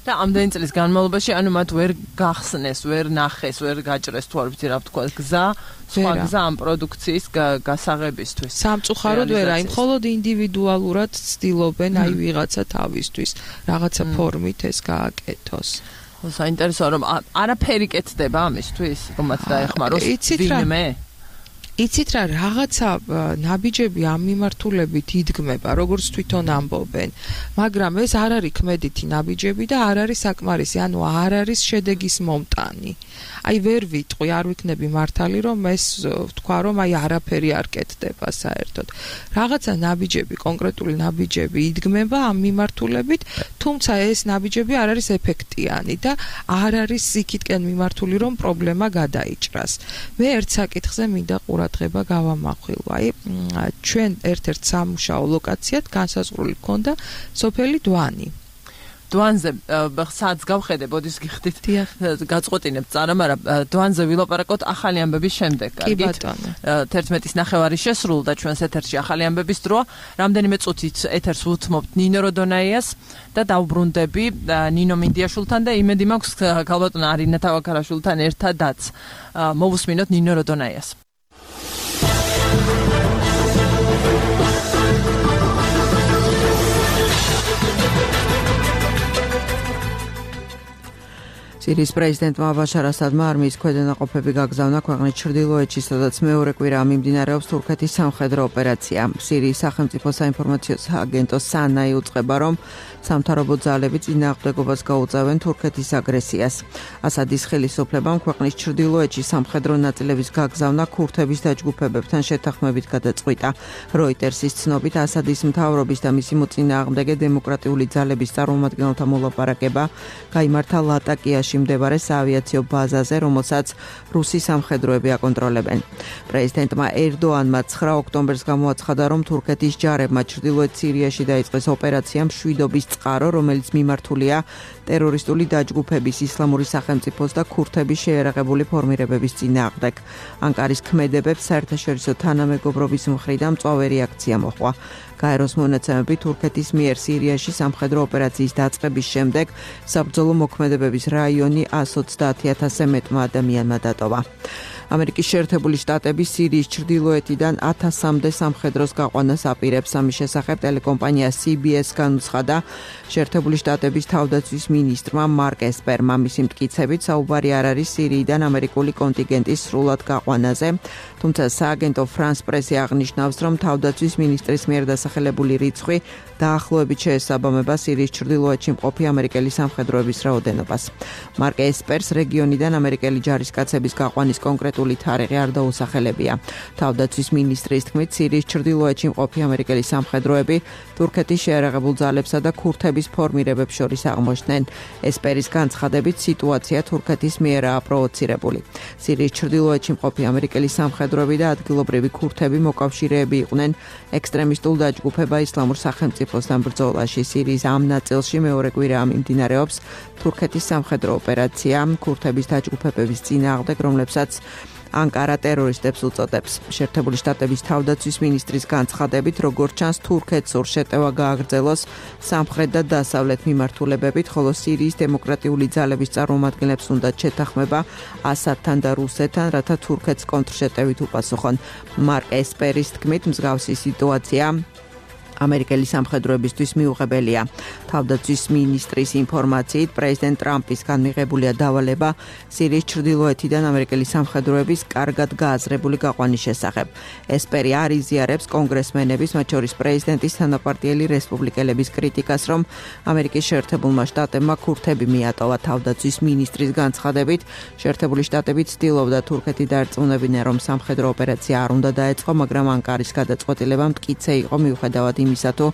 და ამდენი წლის განმავლობაში, ანუ მათ ვერ გახსნეს, ვერ ნახეს, ვერ გაჭრეს, თუ არ ვიცი რა ვთქვა, გზა, სხვა გზა ამ პროდუქციის გასაღებისთვის. სამწუხაროდ ვერ, აი მხოლოდ ინდივიდუალურად ცდილობენ აი ვიღაცა თავისთვის, რაღაცა ფორმით ეს გააკეთოს. საინტერესოა, რომ არაფერი კეთდება ამისთვის, რომ მათ დაეხმაროს ვინმე? იცით რა, რაღაცა ნაბიჯები ამ მიმართულებით იდგმება, როგორც თვითონ ამბობენ, მაგრამ ეს არ არის ქმედითი ნაბიჯები და არ არის საკმარისი, ანუ არ არის შედეგის მომტანი. აი ვერ ვიტყვი, არ ვიქნები მართალი, რომ ეს ვთქვა, რომ აი არაფერი არ კეთდება საერთოდ. რაღაცა ნაბიჯები, კონკრეტული ნაბიჯები იდგმება ამ მიმართულებით, თუმცა ეს ნაბიჯები არ არის ეფექტიანი და არ არის იქითკენ მიმართული, რომ პრობლემა გადაიჭრას. მე ერთ საკითხზე მინდა ყურადღება გავამახვილო. აი ჩვენ ერთ-ერთ სამუშაო ლოკაციად განსაზღვრული ჰქონდა სოფელი დვანი. დვანზე სადაც გავხედე, ბოდის გიხდით, გაწყვეტინებ წარა, მაგრამ დვანზე ვილაპარაკოთ ახალი ამბების შემდეგ. კი ბატონო. 11:30 შესრულდა ჩვენს ეთერში ახალი ამბების დროა. რამდენიმე წუთით ეთერს უთმობთ ნინო როდონაიას და დავბრუნდები ნინო მინდიაშვილთან და იმედი მაქვს ქალბატონ არინა თავაქარაშვილთან ერთადაც მოვუსმინოთ ნინო როდონაიას. სირიის პრეზიდენტმა ბაშარ ასადმა არმიის ქვედანაყოფები გაგზავნა ქვეყნის ჩრდილოეთში, სადაც მეორე კვირაა მიმდინარეობს თურქეთის სამხედრო ოპერაცია. სირიის სახელმწიფო საინფორმაციო სააგენტო სანაი უწყება, რომ სამთავრობო ძალები წინააღმდეგობას გაუწევენ თურქეთის აგრესიას. ასადის ხელისუფლებამ ქვეყნის ჩრდილოეთში სამხედრო ნაწილების გაგზავნა ქურთების დაჯგუფებებთან შეთანხმებით გადაწყვიტა. როიტერსის ცნობით, ასადის მთავრობის და მისი მოწინააღმდეგე დემოკრატიული ძალების წარმომადგენელთა მოლაპარაკება გაიმართა ლატაკიაში კუნძულში მდებარე საავიაციო ბაზაზე, რომელსაც რუსი სამხედროები აკონტროლებენ. პრეზიდენტმა ერდოანმა 9 ოქტომბერს გამოაცხადა, რომ თურქეთის ჯარებმა ჩრდილოეთ სირიაში დაიწყეს ოპერაცია მშვიდობის წყარო, რომელიც მიმართულია ტერორისტული დაჯგუფების ისლამური სახელმწიფოს და ქურთების შეიარაღებული ფორმირებების წინააღმდეგ. ანკარის ქმედებებს საერთაშორისო თანამეგობრობის მხრიდან მწვავე რეაქცია მოჰყვა. გაეროს მონაცემები თურქეთის მიერ სირიაში სამხედრო ოპერაციის დაწყების შემდეგ საბრძოლო მოქმედებების რაიონი 130,000-ზე მეტმა ადამიანმა დატოვა. ამერიკის შეერთებული შტატები სირიის ჩრდილოეთიდან 1000-მდე სამხედროს გაყვანას აპირებს. ამის შესახებ ტელეკომპანია CBS განუცხადა შეერთებული შტატების თავდაცვის მინისტრმა მარკ ესპერმა. მისი მტკიცებით საუბარი არ არის სირიიდან ამერიკული კონტინგენტის სრულად გაყვანაზე, თუმცა სააგენტო France Press-ი აღნიშნავს, რომ თავდაცვის მინისტრის მიერ დასახელებული რიცხვი დაახლოებით შეესაბამება სირიის ჩრდილოეთში მყოფი ამერიკელი სამხედროების რაოდენობას. მარკ ესპერს რეგიონიდან ამერიკელი ჯარისკაცების გაყვანის კონკრეტული თარიღი არ დაუსახელებია. თავდაცვის მინისტრის თქმით, სირიის ჩრდილოეთში მყოფი ამერიკელი სამხედროები თურქეთის შეიარაღებულ ძალებსა და ქურთების ფორმირებებს შორის აღმოჩნდნენ. ესპერის განცხადებით, სიტუაცია თურქეთის მიერაა პროვოცირებული. სირიის ჩრდილოეთში მყოფი ამერიკელი სამხედროები და ადგილობრივი ქურთები მოკავშირეები იყვნენ ექსტრემისტულ დაჯგუფება ისლამურ სახელმწიფოსთან ბრძოლაში. სირიის ამ ნაწილში მეორე კვირაა მიმდინარეობს თურქეთის სამხედრო ოპერაცია ქურთების დაჯგუფებების წინააღმდეგ, რომლებსაც ანკარა ტერორისტებს უწოდებს. შეერთებული შტატების თავდაცვის მინისტრის განცხადებით, როგორც ჩანს, თურქეთს შეტევა გააგრძელოს სამხრეთ და დასავლეთ მიმართულებებით, ხოლო სირიის დემოკრატიული ძალების წარმომადგენლებს უნდათ შეთანხმება ასადთან და რუსეთთან, რათა თურქეთს კონტრშეტევით უპასუხონ. მარკ ესპერის თქმით, მსგავსი სიტუაცია ამერიკელი სამხედროებისთვის მიუღებელია. თავდაცვის მინისტრის ინფორმაციით, პრეზიდენტ ტრამპისგან მიღებულია დავალება სირიის ჩრდილოეთიდან ამერიკელი სამხედროების კარგად გააზრებული გაყვანის შესახებ. ესპერი არ იზიარებს კონგრესმენების, მათ შორის პრეზიდენტის თანაპარტიელი რესპუბლიკელების კრიტიკას, რომ ამერიკის შეერთებულმა შტატებმა ქურთები მიატოვა. თავდაცვის მინისტრის განცხადებით, შეერთებული შტატები ცდილობდა თურქეთი დაერწმუნებინა, რომ სამხედრო ოპერაცია არ უნდა დაეწყო, მაგრამ ანკარის გადაწყვეტილება მტკიცე იყო მიუხედავად იმისა, თუ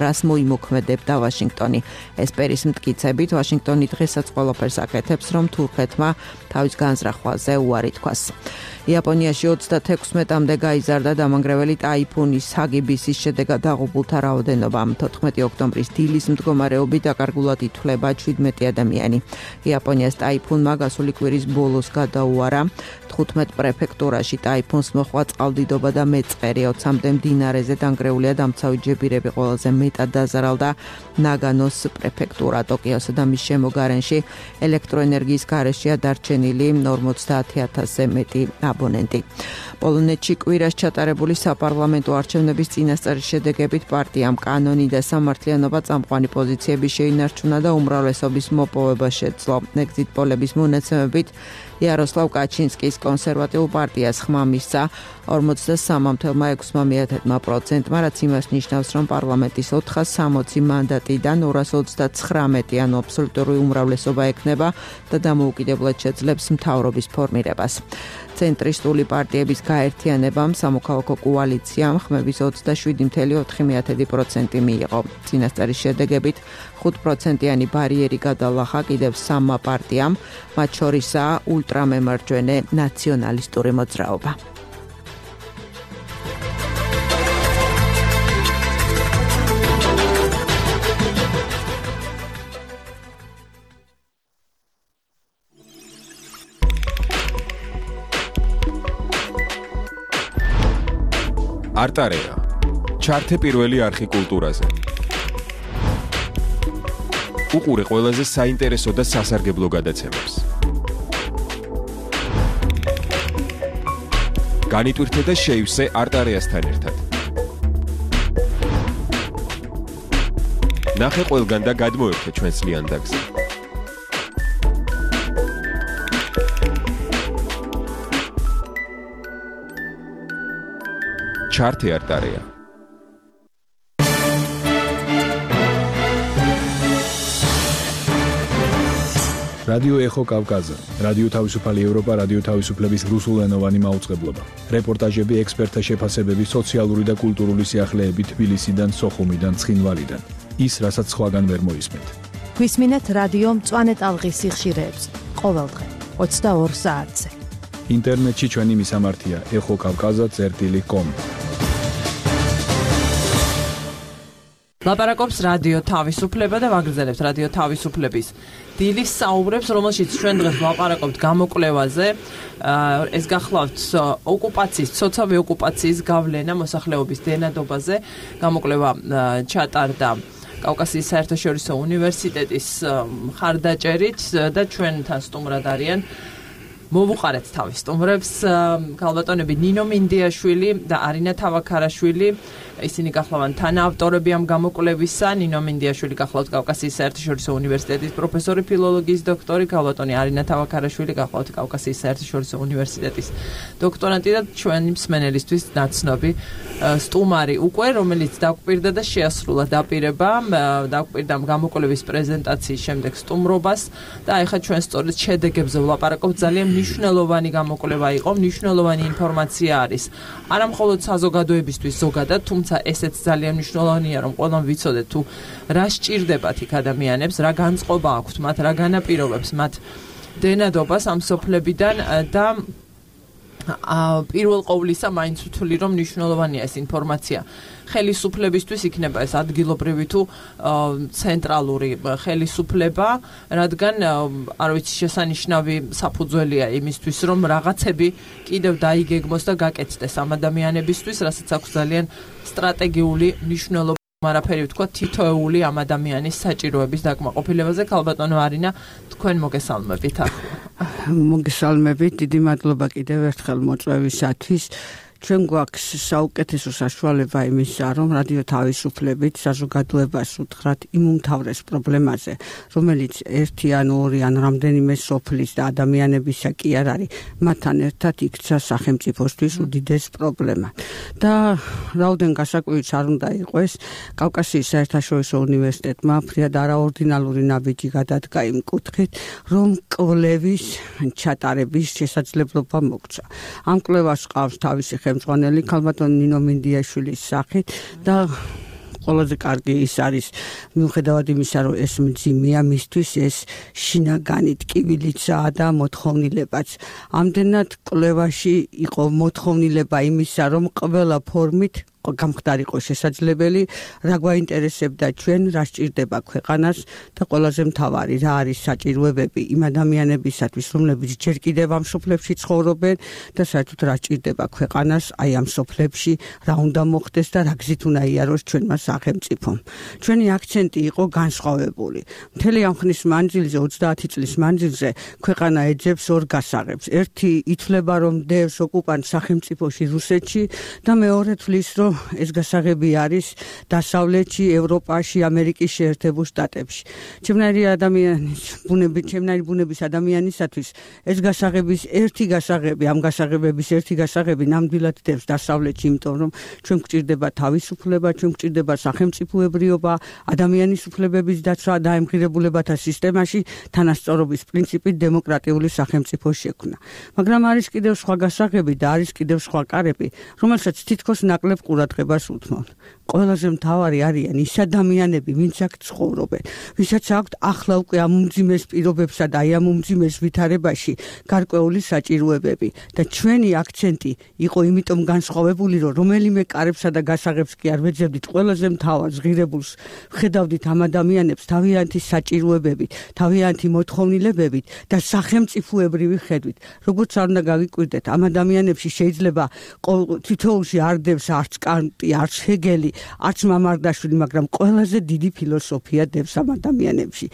რას მოიმოქმედებდა ვაშინგტონი. ესპერის მტკიცებით, ვაშინგტონი დღესაც ყველაფერს აკეთებს, რომ თურქეთმა თავის განზრახვაზე უარი თქვას. იაპონიაში 36-მდე გაიზარდა დამანგრეველი ტაიფუნის ჰაგიბისის შედეგად დაღუპულთა რაოდენობა. 14 ოქტომბრის დილის მდგომარეობით დაკარგულად ითვლება 17 ადამიანი. იაპონიას ტაიფუნმა გასული კვირის ბოლოს გადაუარა 15 პრეფექტურაში ტაიფუნს მოჰყვა წყალდიდობა და მეწყერი. 20-მდე მდინარეზე დანგრეულია დამცავი ჯებირები, ყველაზე მეტად დაზარალდა ნაგანოს პრეფექტურა. ტოკიოსა და მის შემოგარენში ელექტროენერგიის გარეშეა დარჩენილი 50,000-ზე მეტი აბონენტი. პოლონეთში კვირას ჩატარებული საპარლამენტო არჩევნების წინასწარის შედეგებით პარტიამ კანონი და სამართლიანობა წამყვანი პოზიციები შეინარჩუნა და უმრავლესობის მოპოვება შეძლო. ეგზიტ პოლების მონაცემებით იაროსლავ კაჩინსკის კონსერვატიულ პარტიას ხმა მისცა 43,6%, რაც იმას ნიშნავს, რომ პარლამენტის 460 მანდატიდან 239, ანუ აბსოლუტური უმრავლესობა ექნება და დამოუკიდებლად შეძლებს მთავრობის ფორმირებას. ცენტრისტული პარტიების გაერთიანებამ სამოქალაქო კოალიციამ ხმების 27,4% მიიღო. წინასწარის შედეგებით 5%-იანი ბარიერი გადალახა კიდევ 3 პარტიამ, მათ შორისაა ულტრამემარჯვენე ნაციონალისტური მოძრაობა. არტარეა. ჩართე პირველი არხი კულტურაზე. უყურე ყველაზე საინტერესო და სასარგებლო გადაცემებს. განიტვირთე და შეივსე არტარეასთან ერთად. ნახე ყველგან და გადმოერთე ჩვენს ლიანდაგზე. ჩართე არტარეა. რადიო ეხო კავკაზა, რადიო თავისუფალი ევროპა, რადიო თავისუფლების რუსულენოვანი მაუწყებლობა. რეპორტაჟები, ექსპერტთა შეფასებები, სოციალური და კულტურული სიახლეები თბილისიდან, სოხუმიდან, ცხინვალიდან. ის, რასაც სხვაგან ვერ მოისმენთ. გვისმინეთ რადიო მწვანე ტალღის სიხშირეებს. ყოველდღე 22 საათზე. ინტერნეტში ჩვენი მისამართია exokavkaza.com. ლაპარაკობს რადიო თავისუფლება და ვაგრძელებთ რადიო თავისუფლების დილის საუბრებს, რომელშიც ჩვენ დღეს ვლაპარაკობთ გამოკვლევაზე. ეს გახლავთ ოკუპაციის, ცოცხალი ოკუპაციის გავლენა მოსახლეობის დენადობაზე. გამოკვლევა ჩატარდა კავკასიის საერთაშორისო უნივერსიტეტის მხარდაჭერით და ჩვენთან სტუმრად არიან მოვუყარეთ თავის სტუმრებს ქალბატონები ნინო მინდიაშვილი და არინა თავაქარაშვილი. ისინი გახლავთ თანაავტორები ამ გამოკვლევისა. ნინო მინდიაშვილი გახლავთ კავკასიის საერთაშორისო უნივერსიტეტის პროფესორი, ფილოლოგიის დოქტორი, ქალბატონი არინა თავაქარაშვილი გახლავთ კავკასიის საერთაშორისო უნივერსიტეტის დოქტორანტი და ჩვენი მსმენელისთვის ნაცნობი სტუმარი უკვე, რომელიც დაგვპირდა და შეასრულა დაპირება, დაგვპირდა გამოკვლევის პრეზენტაციის შემდეგ სტუმრობას და ეხლა ჩვენ სწორედ შედეგებზე ვლაპარაკობთ. ძალიან მნიშვნელოვანი გამოკვლევა იყო, მნიშვნელოვანი ინფორმაცია არის. არა მხოლოდ საზოგადოებისთვის ზოგადად, თუმცა ესეც ძალიან მნიშვნელოვანია, რომ ყველამ ვიცოდეთ თუ რა სჭირდებათ იქ ადამიანებს, რა განწყობა აქვთ მათ, რა განაპირობებს მათ დენადობას ამ სოფლებიდან და პირველ ყოვლისა მაინც ვთვლი, რომ მნიშვნელოვანია ეს ინფორმაცია. ხელისუფლებისთვის იქნება ეს ადგილობრივი თუ ცენტრალური ხელისუფლება, რადგან არ ვიცი შესანიშნავი საფუძველია იმისთვის, რომ რაღაცები კიდევ დაიგეგმოს და გაკეთდეს ამ ადამიანებისთვის, რასაც აქვს ძალიან სტრატეგიული მნიშვნელობა. არაფერი ვთქვა თითოეული ამ ადამიანის საჭიროების დაკმაყოფილებაზე. ქალბატონო არინა, თქვენ მოგესალმებით ახლა. მოგესალმებით, დიდი მადლობა კიდევ ერთხელ მოწვევისათვის. ჩვენ გვაქვს საუკეთესო საშუალება იმისა, რომ რადიო თავისუფლებით საზოგადოებას უთხრათ იმ უმთავრეს პრობლემაზე, რომელიც ერთი ან ორი ან რამდენიმე სოფლის და ადამიანებისა კი არ არის, მათთან ერთად იქცა სახელმწიფოსთვის უდიდეს პრობლემა. და რაოდენ გასაკვირიც არ უნდა იყოს, კავკასიის საერთაშორისო უნივერსიტეტმა ფრიად არაორდინალური ნაბიჯი გადადგა იმ კუთხით, რომ კვლევის ჩატარების შესაძლებლობა მოგცა. ამ კვლევას ყავს თავისი ხელმძღვანელი ქალბატონ ნინო მინდიაშვილის სახით და ყველაზე კარგი ის არის მიუხედავად იმისა, რომ ეს მძიმეა მისთვის, ეს შინაგანი ტკივილიცაა და მოთხოვნილებაც. ამდენად კვლევაში იყო მოთხოვნილება იმისა, რომ ყველა ფორმით გამხდარიყო შესაძლებელი, რა გვაინტერესებდა ჩვენ, რა სჭირდება ქვეყანას და ყველაზე მთავარი, რა არის საჭიროებები იმ ადამიანებისათვის, რომლებიც ჯერ კიდევ ამ სოფლებში ცხოვრობენ და საერთოდ რა სჭირდება ქვეყანას აი ამ სოფლებში, რა უნდა მოხდეს და რა გზით უნდა იაროს ჩვენმა სახელმწიფომ. ჩვენი აქცენტი იყო განსხვავებული. მთელი ამ ხნის მანძილზე, 30 წლის მანძილზე, ქვეყანა ეძებს ორ გასაღებს. ერთი ითვლება, რომ დევს ოკუპანტ სახელმწიფოში რუსეთში და მეორე თვლის, რომ ეს გასაღები არის დასავლეთში, ევროპაში, ამერიკის შეერთებულ შტატებში. ჩემნაირი ბუნების ადამიანისათვის ეს გასაღების ერთი გასაღები, ამ გასაღებების ერთი გასაღები ნამდვილად დევს დასავლეთში, იმიტომ რომ ჩვენ გვჭირდება თავისუფლება, ჩვენ გვჭირდება სახელმწიფოებრიობა, ადამიანის უფლებების დაცვა და ემღირებულებათა სისტემაში თანასწორობის პრინციპით დემოკრატიული სახელმწიფო შექმნა. მაგრამ არის კიდევ სხვა გასაღები და არის კიდევ სხვა კარები, რომელსაც თითქოს ნაკლებ ყურადღებას უთმობთ. ყველაზე მთავარი არიან ის ადამიანები, ვინც აქ ცხოვრობენ, ვისაც აქვთ ახლა უკვე ამ უმძიმეს პირობებსა და აი ამ უმძიმეს ვითარებაში გარკვეული საჭიროებები და ჩვენი აქცენტი იყო იმიტომ განსხვავებული, რომ რომელიმე კარებსა და გასაღებს კი არ ვეძებდით, ყველაზე მთავარ ღირებულს ვხედავდით ამ ადამიანებს თავიანთი საჭიროებებით, თავიანთი მოთხოვნილებებით და სახელმწიფოებრივი ხედვით. როგორც არ უნდა გავიკვირდეთ, ამ ადამიანებში შეიძლება თითოეულში არ დევს არც კანტი, არც ჰეგელი, არც მამარდაშვილი, მაგრამ ყველაზე დიდი ფილოსოფია დევს ამ ადამიანებში.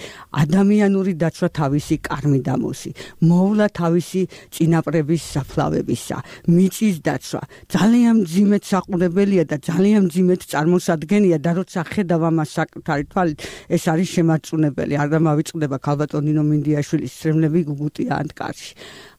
ადამიანური დაცვა თავისი კარმიდამოსი, მოვლა თავისი წინაპრების საფლავებისა, მიწის დაცვა, ძალიან მძიმედ საყურებელია და ძალიან მძიმედ წარმოსადგენია და როცა ხედავ ამას საკუთარი თვალით, ეს არის შემარწმუნებელი. არ დამავიწყდება ქალბატონ ნინო მინდიაშვილის სრემლები გუგუტია ანტკარში.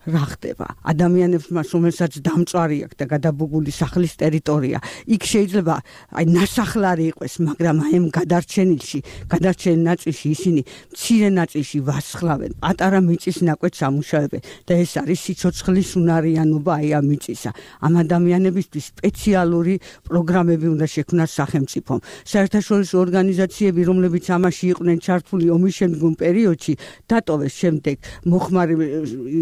რა ხდება ადამიანებს მას რომელსაც დამწვარი აქვს და გადაბუგული სახლის ტერიტორია იქ შეიძლება აი ნასახლარი იყოს მაგრამ აი ამ გადარჩენილ ნაწილში ისინი მცირე ნაწილში ვასხლავენ პატარა მიწის ნაკვეთს ამუშავებენ და ეს არის სიცოცხლის უნარიანობა აი ამ მიწისა ამ ადამიანებისთვის სპეციალური პროგრამები უნდა შექმნას სახელმწიფომ საერთაშორისო ორგანიზაციები რომლებიც ამაში იყვნენ ჩართული ომის შემდგომ პერიოდში დატოვეს შემდეგ მოხმარი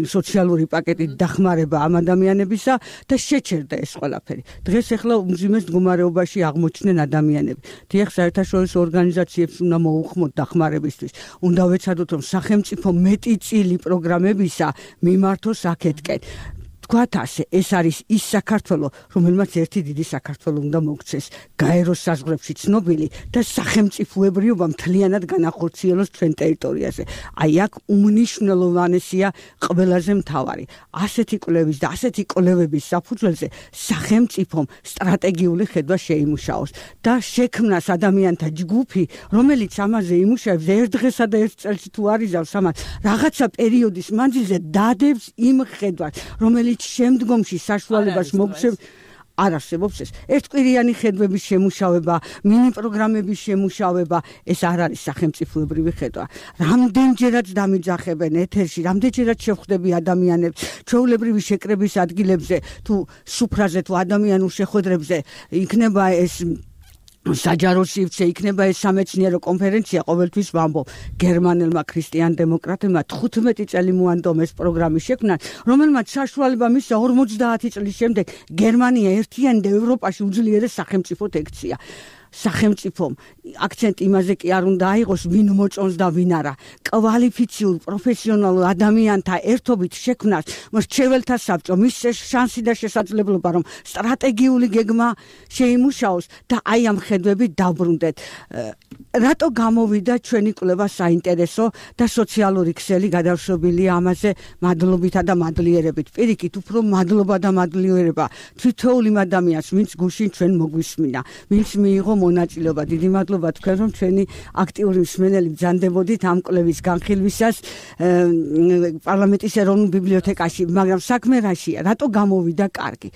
სოციალური პაკეტით დახმარება ამ ადამიანებისა და შეჩერდა ეს ყველაფერი. დღეს ახლა უმძიმეს მდგომარეობაში აღმოჩნდნენ ადამიანები. დიახ, საერთაშორისო ორგანიზაციებს უნდა მოუხმოთ დახმარებისთვის. უნდა ვეცადოთ, რომ სახელმწიფო მეტი წილი პროგრამებისა მიმართოს აქეთკენ. თქვათ ასე, ეს არის ის საქართველო, რომელმაც ერთი დიდი საქართველო უნდა მოქცეს, გაეროს საზღვრებში ცნობილი და სახელმწიფოებრიობა მთლიანად განახორციელოს ჩვენ ტერიტორიაზე. აი აქ უმნიშვნელოვანესია ყველაზე მთავარი. ასეთი კვლევის და ასეთი კვლევების საფუძველზე სახელმწიფომ სტრატეგიული ხედვა შეიმუშაოს და შექმნას ადამიანთა ჯგუფი, რომელიც ამაზე იმუშავებს ერთ დღესა და ერთ წელს თუ არიზავს ამას, რაღაცა პერიოდის მანძილზე დადებს იმ ხედვას, რომელიც შემდგომში საშუალებას მოგცემს არ არსებობს ეს ერთკვირიანი ხედვების შემუშავება, მინი პროგრამების შემუშავება, ეს არ არის სახელმწიფოებრივი ხედვა. რამდენჯერაც დამიძახებენ ეთერში, რამდენჯერაც შევხვდები ადამიანებს ჩვეულებრივი შეკრების ადგილებზე თუ სუფრაზე თუ ადამიანურ შეხვედრებზე იქნება ეს საჯარო სივრცე იქნება ეს სამეცნიერო კონფერენცია ყოველთვის ვამბობ გერმანელმა ქრისტიან დემოკრატებმა 15 წელი მოანდომეს პროგრამის შექმნა რომელმაც საშუალება მისცა 50 წლის შემდეგ გერმანია ერთიანი და ევროპაში უძლიერეს სახელმწიფოდ ექცია სახელმწიფომ აქცენტი იმაზე კი არ უნდა აიღოს ვინ მოწონს და ვინ არა კვალიფიციურ პროფესიონალურ ადამიანთა ერთობით შექმნას მრჩეველთა საბჭომ მის შანსი და შესაძლებლობა რომ სტრატეგიული გეგმა შეიმუშაოს და აი ამ ხედვებით დაბრუნდეთ რატო გამოვიდა ჩვენი კვლევა საინტერესო და სოციალური ქსელი გადავშობილია ამაზე მადლობითა და მადლიერებით პირიქით უფრო მადლობა და მადლიერება თითოეულ იმ ადამიანს ვინც გუშინ ჩვენ მოგვისმინა ვინც მიიღო მონაწილეობა დიდი მადლობა თქვენ რომ ჩვენი აქტიური მსმენელი ბრძანდებოდით ამ კვლევის განხილვისას პარლამენტის ეროვნულ ბიბლიოთეკაში მაგრამ საქმე რაშია რატო გამოვიდა კარგი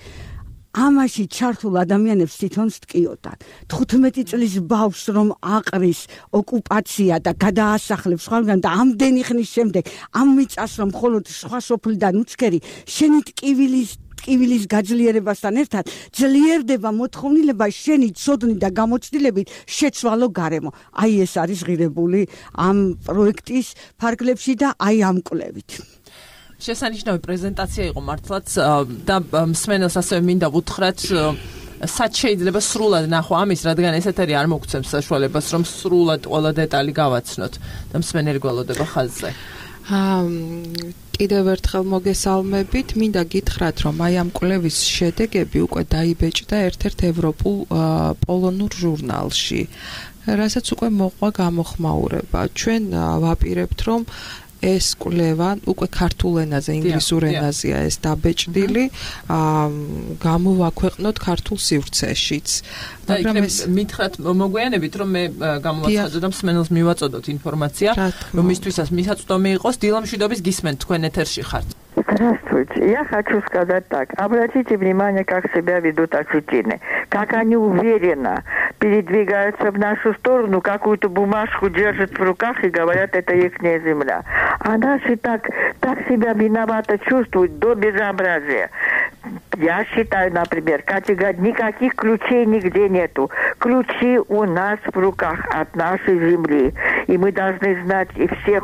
ამაში ჩართულ ადამიანებს თვითონ სტკიოდან 15 წლის ბავშვს რომ აყრის ოკუპაცია და გადაასახლებს სხვაგან და ამდენი ხნის შემდეგ ამ მიწას რომ მხოლოდ სხვა სოფლიდან უცქერი შენი ტკივილის გაძლიერებასთან ერთად ძლიერდება მოთხოვნილება შენი ცოდნი და გამოცდილებით შეცვალო გარემო აი ეს არის ღირებული ამ პროექტის ფარგლებში და აი ამ კვლევით შესანიშნავი პრეზენტაცია იყო მართლაც და მსმენელს ასევე მინდა ვუთხრათ სად შეიძლება სრულად ნახო ამის რადგან ეს ეთერი არ მოგცემს საშუალებას რომ სრულად ყველა დეტალი გავაცნოთ და მსმენელი გველოდება ხაზზე კიდევ ერთხელ მოგესალმებით მინდა გითხრათ რომ აი ამ კვლევის შედეგები უკვე დაიბეჭდა ერთ-ერთ ევროპულ პოლონურ ჟურნალში რასაც უკვე მოყვა გამოხმაურება ჩვენ ვაპირებთ რომ ეს კვლევა უკვე ქართულ ენაზე, ინგლისურ ენაზეა ეს დაბეჭდილი, გამოვაქვეყნოთ ქართულ სივრცეშიც. მაგრამ ეს მითხრათ მოგვიანებით რომ მე გამოვაცხადო და მსმენელს მივაწოდოთ ინფორმაცია, რომ მისთვისაც მისაწვდომი იყოს დილამშვიდობის гисмент თქვენ ეთერში ხართ. Здравствуйте. Я хочу сказать так. Обратите внимание, как себя ведут осетины. Как они уверенно передвигаются в нашу сторону, какую-то бумажку держат в руках и говорят, это ихняя земля. А наши так себя виновато чувствуют до безобразия. Я считаю, например, никаких ключей нигде нету. Ключи у нас в руках от нашей земли. И мы должны знать, и все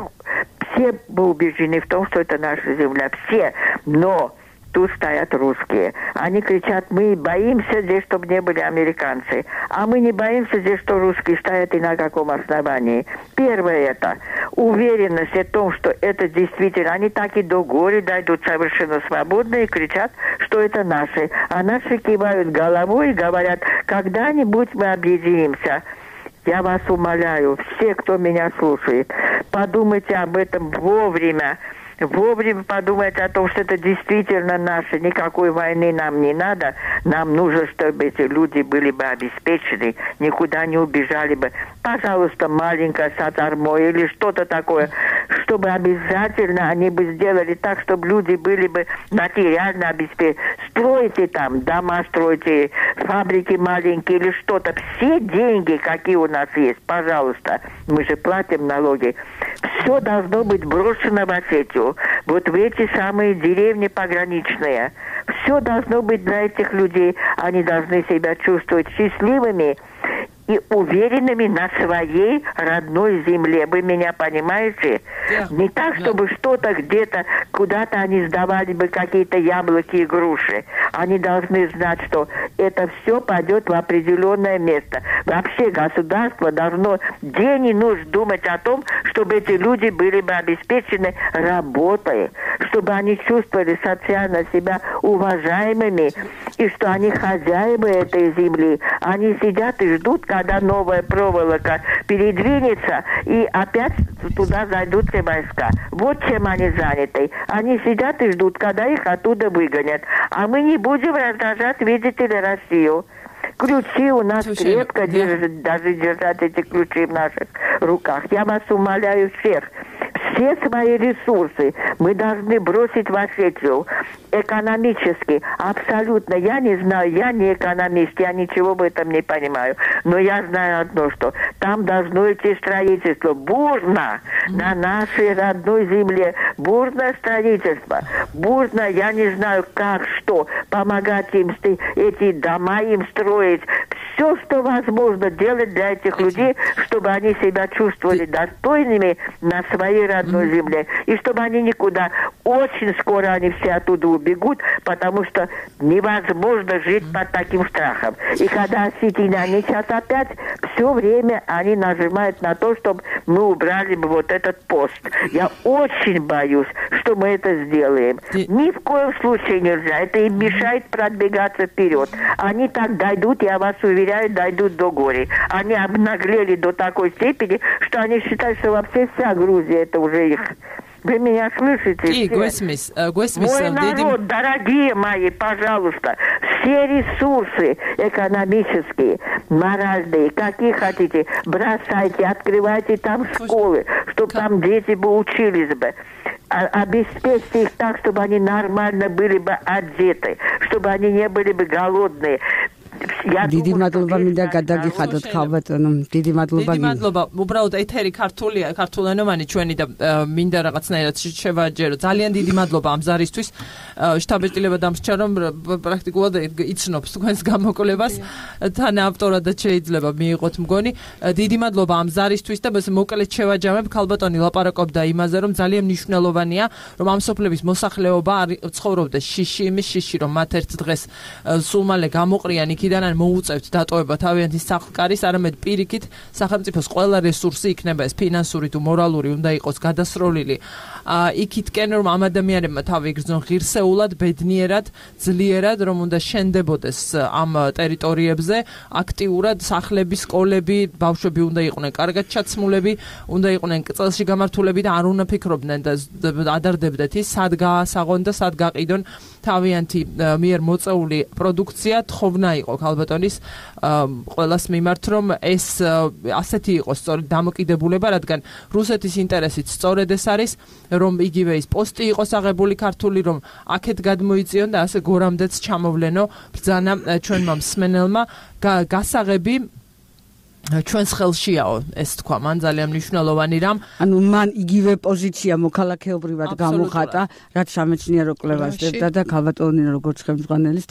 мы убеждены в том, что это наша земля. Все. Но тут стоят русские. Они кричат, мы боимся здесь, чтобы не были американцы. А мы не боимся здесь, что русские стоят и на каком основании. Первое это уверенность в том, что это действительно, они так и до горя дойдут совершенно свободно и кричат, что это наши. А наши кивают головой и говорят, когда-нибудь мы объединимся. Я вас умоляю, все, кто меня слушает, подумайте об этом вовремя. вовремя подумать о том, что это действительно наше, никакой войны нам не надо. Нам нужно, чтобы эти люди были бы обеспечены, никуда не убежали бы. Пожалуйста, маленькая сатармо или что-то такое, чтобы обязательно они бы сделали так, чтобы люди были бы материально обеспечены. Стройте там дома, стройте фабрики маленькие или что-то. Все деньги, какие у нас есть, пожалуйста, мы же платим налоги. Все должно быть брошено в Осетию, вот в эти самые деревни пограничные. Все должно быть для этих людей. Они должны себя чувствовать счастливыми и уверенными на своей родной земле. Вы меня понимаете? Не так, чтобы что-то где-то, куда-то они сдавали бы какие-то яблоки и груши. Они должны знать, что это все пойдет в определенное место. Вообще государство должно день и ночь думать о том, чтобы эти люди были бы обеспечены работой, чтобы они чувствовали социально себя уважаемыми, и что они хозяева этой земли. Они сидят и ждут, когда новая проволока передвинется, и опять туда зайдут все войска. Вот чем они заняты. Они сидят и ждут, когда их оттуда выгонят. А мы не будем раздражать, видите ли, Россию. Ключи у нас крепко держат, даже держать эти ключи в наших руках. Я вас умоляю всех. Все свои ресурсы мы должны бросить в Осетию. Экономически, абсолютно. Я не знаю, я не экономист, я ничего в этом не понимаю. Но я знаю одно, что там должно идти строительство. Бурно на нашей родной земле. Бурное строительство. Бурно, я не знаю как, что. Помогать им, эти дома им строить. Все, что возможно делать для этих людей, чтобы они себя чувствовали достойными на своей родной земле. И чтобы они никуда, очень скоро они все оттуда убегут, потому что невозможно жить под таким страхом. И когда осетины, они сейчас опять все время они нажимают на то, чтобы мы убрали бы вот этот пост. Я очень боюсь, что мы это сделаем. Ни в коем случае нельзя. Это им мешает продвигаться вперед. Они так дойдут, я вас уверяю, дойдут до горя. Они обнаглели до такой степени, что они считают, что вообще вся Грузия это уже их. Вы меня слышите? Мой народ, дорогие мои, пожалуйста, все ресурсы экономические, моральные, какие хотите, бросайте, открывайте там школы, чтобы там дети бы учились бы. Обеспечьте их так, чтобы они нормально были бы одеты, чтобы они не были бы голодные. დიდი მადლობა მინდა გადაგიხადოთ ხალბატონო დიდი მადლობა უბრალოდ ეთერი ქართულია ქართულენოვანი ჩვენი და მინდა რაღაცნაირად შევაჯერო ძალიან დიდი მადლობა ამ ზარისთვის შტაბ-ეტილება დამსჭა რომ პრაქტიკულად იცნობს თქვენს გამოკვლევას თან ავტორადაც შეიძლება მიიღოთ მგონი დიდი მადლობა ამ ზარისთვის და მოკლედ შევაჯამებ ქალბატონი ლაპარაკობდა იმაზე რომ ძალიან მნიშვნელოვანია რომ ამ სოფლების მოსახლეობა ცხოვრობდეს შიში იმის შიში რომ მათ ერთ დღეს სულ მალე გამოყრიან იქიდან ან მოუწევთ დატოვება თავიანთი სახლკარის, არამედ პირიქით სახელმწიფოს ყველა რესურსი იქნება ეს ფინანსური თუ მორალური უნდა იყოს გადასროლილი. იქითკენ რომ ამ ადამიანებმა თავი იგრძნონ ღირსეულად, ბედნიერად, ძლიერად, რომ უნდა შენდებოდეს ამ ტერიტორიებზე, აქტიურად სახლები, სკოლები, ბავშვები უნდა იყვნენ კარგად ჩაცმულები, უნდა იყვნენ წელში გამართულები და არ უნდა ფიქრობდნენ და ადარდებდეთ ის სად გაასაღონ და სად გაყიდონ თავიანთი მიერ მოწეული პროდუქცია თხოვნა იყო ქალბატონის ყველას მიმართ რომ ეს ასეთი იყოს სწორედ დამოკიდებულება რადგან რუსეთის ინტერესით სწორედ ეს არის რომ იგივე ის პოსტი იყოს აღებული ქართული რომ აქეთ გადმოიწიონ და ასე გორამდეც ჩამოვლენო ბრძანა ჩვენმა მსმენელმა გასაღები ჩვენს ხელშიაო ეს თქვა მან ძალიან მნიშვნელოვანი რამ ანუ მან იგივე პოზიცია მოქალაქეობრივად გამოხატა რაც სამეცნიერო კვლევას დებდა და ქალბატონი როგორც ხელმძღვანელის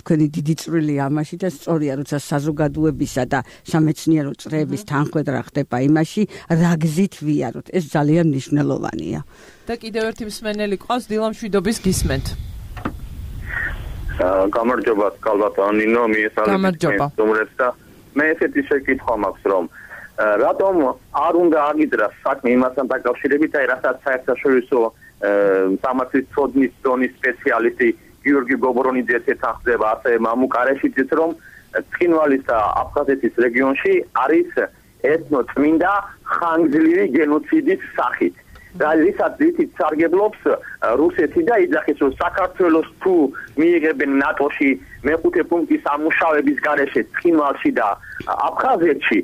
თქვენი დიდი წვლილი ამაში და სწორია როცა საზოგადოებისა და სამეცნიერო წრეების თანხმედრა ხდება იმაში რა გზით ვიაროთ ეს ძალიან მნიშვნელოვანია და კიდევ ერთი მსმენელი ყავს დილამშვიდობის გისმენთ გამარჯობა ქალბატონინო მიესალმებით და მე ესეთი შეკითხვა მაქვს რომ რატომ არ უნდა აგიძრა საქმე იმასთან დაკავშირებით აი რასაც საერთაშორისო სამართლის ცოდნის დონის სპეციალისტი გიორგი გობრონიძე ეთანხმდება ასე მამუკარეშიც რომ ცხინვალის და აფხაზეთის რეგიონში არის ეთნოწმინდა ხანგრძლივი გენოციდის სახით როდესაც ისიც სარგებლობს რუსეთი და იძახის რომ საქართველოს თუ მიიღებენ ნატოში მეხუთე პუნქტის ამუშავების გარეშე ცხინვალში და აფხაზეთში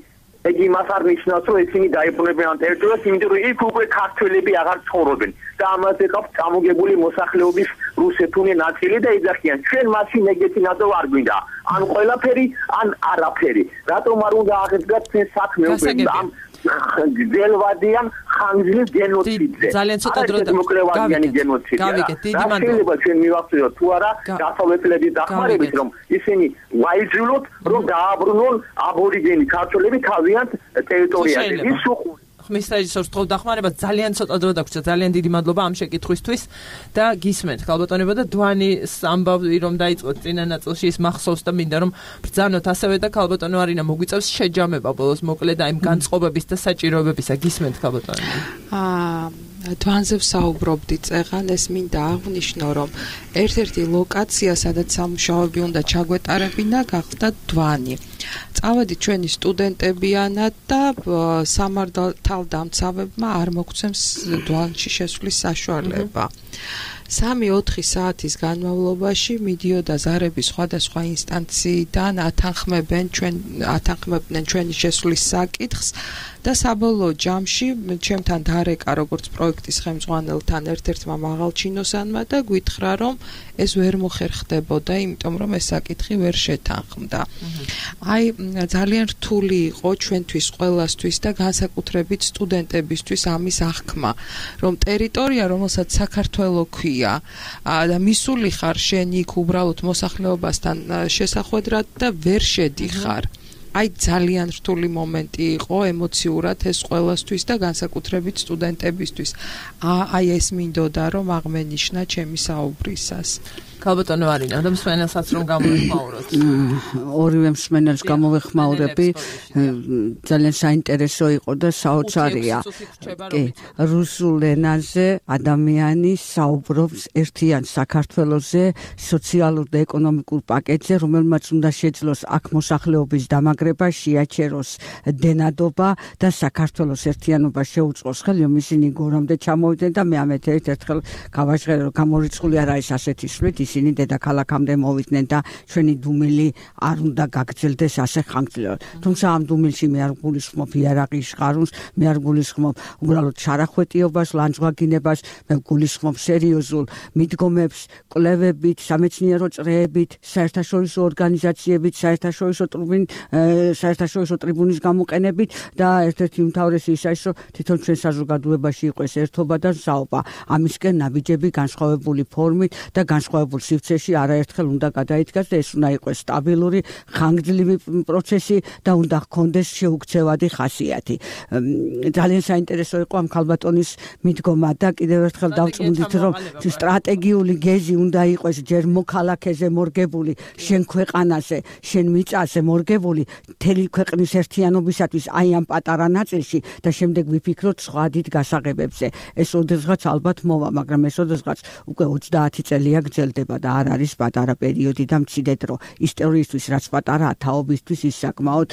ეგ იმას არ ნიშნავს რომ ისინი დაიბრუნებენ ამ ტერიტორიას იმიტომ რომ იქ უკვე ქართველები აღარ ცხოვრობენ და ამაზე ყავს წამოგებული მოსახლეობის რუსეთური ნაწილი და იძახიან ჩვენ მაშინ ეგეთი ნატო არ გვინდა ან ყველაფერი ან არაფერი რატომ არ უნდა აღედგათ ჩვენ საქმე უკვე ამ გელვადიან ხანგრძლივ გენოციდზე ძალიან ცოტა დრო მოკლევადიანი გენოციდი გავიგეთ დიდი მადლობა შეიძლება ჩვენ მივახციოთ თუ არა დასავლეთელების დახმარებით რომ ისინი ვაიძულოთ რომ დააბრუნონ აბორიგენი ქართველები თავიანთ ტერიტორიაზე ის უყურებს ხმის რეჟისორს თქო დახმარება ძალიან ცოტა დრო დაგვჭირდა ძალიან დიდი მადლობა ამ შეკითხვისთვის და გისმენთ ხალბატონებო და დვანის ამბავი რომ დაიწყოთ წინა ნაწილში ის მახსოვს და მინდა რომ ბრძანოთ ასევე და ხალბატონო არინა მოგვიწევს შეჯამება ბოლოს მოკლედ აი იმ განწყობების და საჭიროებებისა გისმენთ ხალბატონებო დვანზე ვსაუბრობდი წეღან ეს მინდა აღვნიშნო რომ ერთ-ერთი ლოკაცია სადაც სამუშაოები უნდა ჩაგვეტარებინა გახდა დვანი წავედით ჩვენი სტუდენტებიანად და სამართალდამცავებმა არ მოგვცემს დვანში შესვლის საშუალება 3-4 საათის განმავლობაში მიდიოდა ზარები სხვადასხვა ინსტანციიდან ათანხმებდნენ ჩვენი შესვლის საკითხს და საბოლოო ჯამში ჩემთან დარეკა როგორც პროექტის ხელმძღვანელთან ერთ-ერთმა მაღალჩინოსანმა და გითხრა რომ ეს ვერ მოხერხდებოდა იმიტომ რომ ეს საკითხი ვერ შეთანხმდა. აი ძალიან რთული იყო ჩვენთვის ყველასთვის და განსაკუთრებით სტუდენტებისთვის ამის აღქმა რომ ტერიტორია რომელსაც საქართველო ქვია და მისული ხარ შენ იქ უბრალოდ მოსახლეობასთან შესახვედრად და ვერ შედიხარ აი ძალიან რთული მომენტი იყო ემოციურად ეს ყველასთვის და განსაკუთრებით სტუდენტებისთვის. აი ეს მინდოდა რომ აღმენიშნა ჩემი საუბრისას. ხალბატონო არინა და მსმენელსაც რომ გამოვიხმაუროთ. ორივე მსმენელს გამოვიხმაურები ძალიან საინტერესო იყო და საოცარია. კი, რუსულ ენაზე ადამიანი საუბრობს ერთიან საქართველოზე სოციალურ და ეკონომიკურ პაკეტზე, რომელმაც უნდა შეძლოს აქ მოსახლეობის დამაგრება, შეაჩეროს დენადობა და საქართველოს ერთიანობა შეუწყოს ხელი, რომ ისინი გორამდე ჩამოვიდნენ და მე ამეთ ერთ-ერთხელ გავაჟღერე რომ გამორიცხული არ არის ასეთი სვლით ისინი დედაქალაქამდე მოვიდნენ და ჩვენი დუმილი არ უნდა გაგრძელდეს ასე ხანგრძლივად. თუმცა ამ დუმილში მე არ გულისხმობ იარაღის ხარუნს, მე არ გულისხმობ უბრალოდ შარახვეტიობას, ლანძღვაგინებას, მე გულისხმობ სერიოზულ მიდგომებს, კვლევებით, სამეცნიერო წრეებით, საერთაშორისო ორგანიზაციებით, საერთაშორისო ტრიბუნის გამოყენებით და ერთ-ერთი უმთავრესი ის არის, რომ თვითონ ჩვენ საზოგადოებაში იყოს ერთობა და მსაობა. ამისკენ ნაბიჯები განსხვავებული ფორმით და განსხვავებულ სივრცეში არაერთხელ უნდა გადაიდგას და ეს უნდა იყოს სტაბილური, ხანგრძლივი პროცესი და უნდა ჰქონდეს შეუქცევადი ხასიათი. ძალიან საინტერესო იყო ამ ხალბატონის მიდგომა და კიდევ ერთხელ დავწმუნდით, რომ სტრატეგიული გეზი უნდა იყოს ჯერ მოქალაქეზე მორგებული, შენ ქვეყანაზე, შენ მიწაზე მორგებული, მთელი ქვეყნის ერთიანობისათვის აი ამ პატარა ნაწილში და შემდეგ ვიფიქროთ სხვა დიდ გასაღებებზე. ეს ოდესღაც ალბათ მოვა, მაგრამ ეს ოდესღაც უკვე 30 წელია გრძელდება და არ არის პატარა პერიოდი და მცირე დრო. ისტორიისთვის რაც პატარა თაობისთვის ის საკმაოდ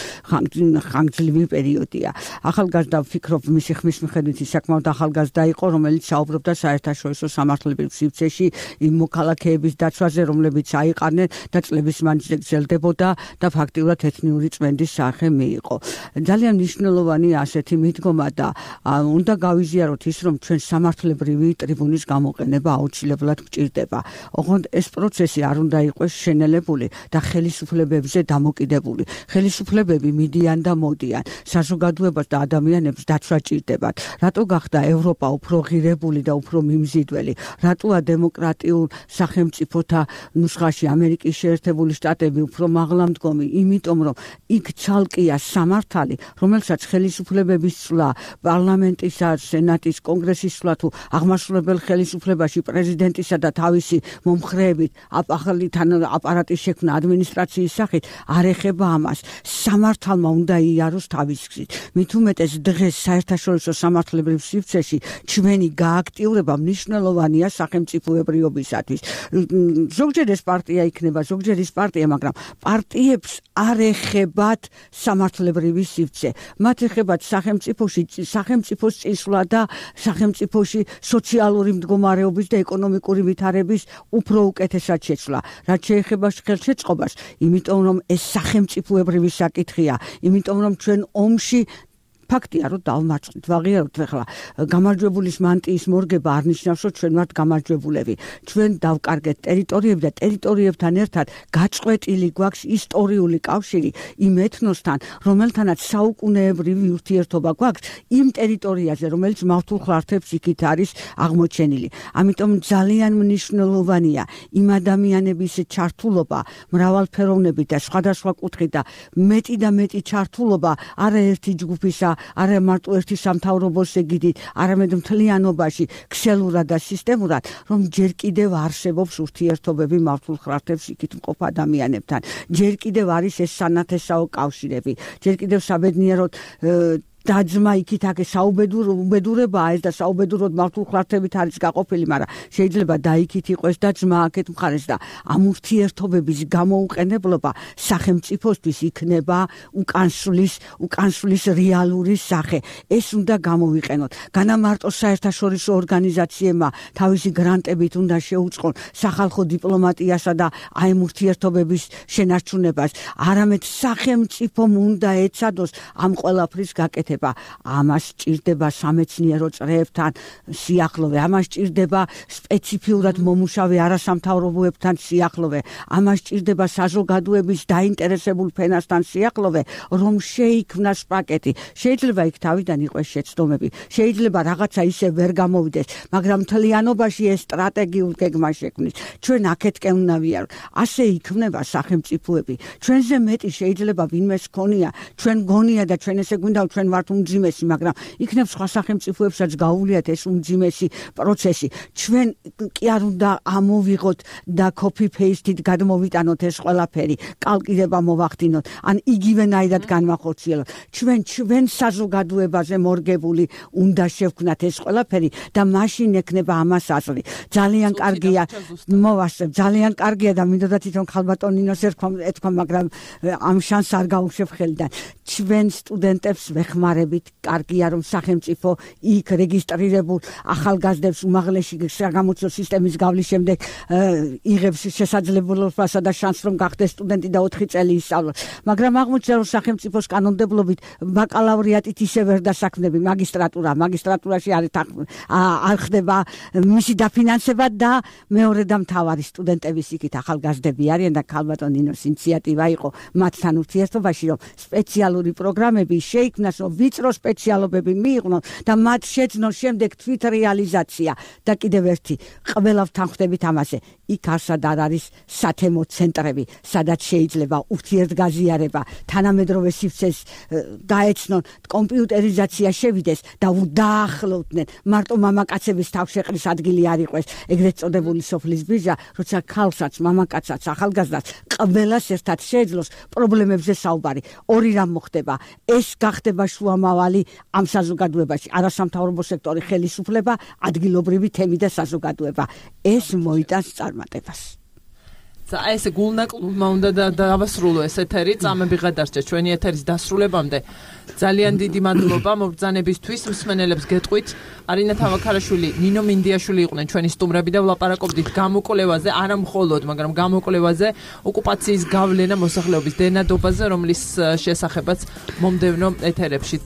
ხანგრძლივი პერიოდია. ახალგაზრდა ვფიქრობ მისი ხმის მიხედვით ის საკმაოდ ახალგაზრდა იყო, რომელიც საუბრობდა საერთაშორისო სამართლებრივ სივრცეში იმ მოქალაქეების დაცვაზე, რომლებიც აიყარნენ და წლების მანძილზე გრძელდებოდა და ფაქტიურად ეთნიური წმენდის სახე მიიღო. ძალიან მნიშვნელოვანი ასეთი მიდგომა და უნდა გავიზიაროთ ის, რომ ჩვენ სამართლებრივი ტრიბუნის გამოყენება აუცილებლად გვჭირდება. ოღონდ ეს პროცესი არ უნდა იყოს შენელებული და ხელისუფლებებზე დამოკიდებული. ხელისუფლებები მიდიან და მოდიან. საზოგადოებას და ადამიანებს დაცვა ჭირდებათ. რატო გახდა ევროპა უფრო ღირებული და უფრო მიმზიდველი? რატოა დემოკრატიულ სახელმწიფოთა ნუსხაში ამერიკის შეერთებული შტატები უფრო მაღლამდგომი? იმიტომ რომ იქ ცალკეა სამართალი, რომელსაც ხელისუფლებების ცვლა, პარლამენტისა, სენატის, კონგრესის ცვლა თუ აღმასრულებელ ხელისუფლებაში პრეზიდენტისა და თავისი მომხრეებით ახალი აპარატის შექმნა ადმინისტრაციის სახით არ ეხება ამას. სამართალმა უნდა იაროს თავის გზით. მით უმეტეს დღეს საერთაშორისო სამართლებრივ სივრცეში ჩვენი გააქტიურება მნიშვნელოვანია სახელმწიფოებრიობისათვის. ზოგჯერ ეს პარტია იქნება, ზოგჯერ ის პარტია, მაგრამ პარტიებს არ ეხება ეხებათ სამართლებრივი სივრცე. მათ ეხებათ სახელმწიფოს წინსვლა და სახელმწიფოში სოციალური მდგომარეობის და ეკონომიკური ვითარების უფრო უკეთესად შეცვლა. რაც შეეხება ხელშეწყობას, იმიტომ რომ ეს სახელმწიფოებრივი საკითხია, იმიტომ რომ ჩვენ ომში ფაქტია, რომ დავმარცხდით, ვაღიაროთ ახლა გამარჯვებულის მანტიის მორგება არ ნიშნავს, რომ ჩვენ ვართ გამარჯვებულები. ჩვენ დავკარგეთ ტერიტორიები და ტერიტორიებთან ერთად გაწყვეტილი გვაქვს ისტორიული კავშირი იმ ეთნოსთან, რომელთანაც საუკუნეებრივი ურთიერთობა გვაქვს იმ ტერიტორიაზე, რომელიც მავთულ ხლართებს იქით არის აღმოჩენილი. ამიტომ ძალიან მნიშვნელოვანია იმ ადამიანების ჩართულობა, მრავალფეროვნებით და სხვადასხვა კუთხით და მეტი და მეტი ჩართულობა არაერთი ჯგუფისა არა მარტო ერთი სამთავრობოს ეგიდით, არამედ მთლიანობაში, ქსელურად და სისტემურად, რომ ჯერ კიდევ არსებობს ურთიერთობები მავთულ ხლართებს იქით მყოფ ადამიანებთან. ჯერ კიდევ არის ეს სანათესაო კავშირები. ჯერ კიდევ საბედნიეროდ დაძმა იქით აქ საუბედურებაა ეს და საუბედუროდ მავთულ ხლართებით არის გაყოფილი, მაგრამ შეიძლება დაიქით იყოს და ძმა აქეთ მხარეს და ამ ურთიერთობების გამოუყენებლობა სახელმწიფოსთვის იქნება უკანსვლის რეალური სახე. ეს უნდა გამოვიყენოთ. განა მარტო საერთაშორისო ორგანიზაციებმა თავისი გრანტებით უნდა შეუწყონ სახალხო დიპლომატიასა და აი ურთიერთობების შენარჩუნებას, არამედ სახელმწიფომ უნდა ეცადოს ამ ყველაფრის გაკეთება. ამას ჭირდება სამეცნიერო წრეებთან სიახლოვე, ამას ჭირდება სპეციფიურად მომუშავე არასამთავრობოებთან სიახლოვე, ამას ჭირდება საზოგადოების დაინტერესებულ ფენასთან სიახლოვე, რომ შეიქმნას პაკეტი. შეიძლება იქ თავიდან იყოს შეცდომები, შეიძლება რაღაცა ისე ვერ გამოვიდეს, მაგრამ მთლიანობაში ეს სტრატეგიულ გეგმა შექმნის. ჩვენ აქეთკენ უნდა ვიაროთ. ასე იქმნება სახელმწიფოები. ჩვენზე მეტი შეიძლება ვინმეს ქონია, ჩვენ გონია და ჩვენ ესე გვინდა ჩვენ უმძიმესი, მაგრამ იქნებ სხვა სახელმწიფოებსაც გაუვლიათ ეს უმძიმესი პროცესი. ჩვენ კი არ უნდა ამოვიღოთ და copy paste-ით გადმოვიტანოთ ეს ყველაფერი, კალკილება მოვახდინოთ, ან იგივენაირად განვახორციელოთ. ჩვენ საზოგადოებაზე მორგებული უნდა შევქმნათ ეს ყველაფერი და მაშინ ექნება ამას აზრი. ძალიან კარგია, მოვასწრებ, ძალიან კარგია და მინდოდა თვითონ ხალბატონინოს ეთქვა, მაგრამ ამ შანსს არ გავუშვებ ხელიდან. ჩვენ სტუდენტებს ვეხმარებით, კარგია რომ სახელმწიფო იქ რეგისტრირებულ ახალგაზრდებს უმაღლესი საგამოცდო სისტემის გავლის შემდეგ იღებს შესაძლებლობასა და შანსს რომ გახდეს სტუდენტი და 4 წელი ისწავლოს. მაგრამ აღმოჩნდა რომ სახელმწიფოს კანონმდებლობით ბაკალავრიატით ისე ვერ დასაქმნები მაგისტრატურაში არ ხდება მისი დაფინანსება და მეორე და მთავარი სტუდენტების იქით ახალგაზრდები არიან და ხალბატონინოს ინიციატივა იყო მათთან ურთიერთობაში რომ სპეციალური პროგრამები შეიქმნას, რომ ვიწრო სპეციალობები მიიყვნენ და მათ შეძნოს შემდეგ თვითრეალიზაცია და კიდევ ერთი ყველა ვთანხმდებით ამაზე. იქ არსად არ არის სათემო ცენტრები, სადაც შეიძლება ურთიერთგაზიარება, თანამედროვე სივრცეს გაეცნონ, კომპიუტერიზაცია შევიდეს და დაახლოვდნენ. მარტო მამაკაცების თავშეყრის ადგილი არ იყოს ეგრეთ წოდებული სოფლის ბიჟა, როცა ქალსაც, მამაკაცსაც, ახალგაზრდას ყველას ერთად შეეძლოს პრობლემებზე საუბარი. ორი რამ მოხდება. ეს გახდება შუამავალი ამ საზოგადოებაში, არასამთავრობო სექტორი, ხელისუფლება, ადგილობრივი თემი და საზოგადოება. ეს მოიტანს წარმატებას. ეს გულნაკლულმა უნდა დავასრულო ეს ეთერი, წამები გადარჩა ჩვენი ეთერის დასრულებამდე. ძალიან დიდი მადლობა მობრძანებისთვის, მსმენელებს გეტყვით. არინა თავაქარაშვილი, ნინო მინდიაშვილი იყვნენ ჩვენი სტუმრები და ვლაპარაკობდით გამოკვლევაზე, არა მხოლოდ, მაგრამ გამოკვლევაზე, ოკუპაციის გავლენა მოსახლეობის დენადობაზე, რომლის შესახებაც მომდევნო ეთერებში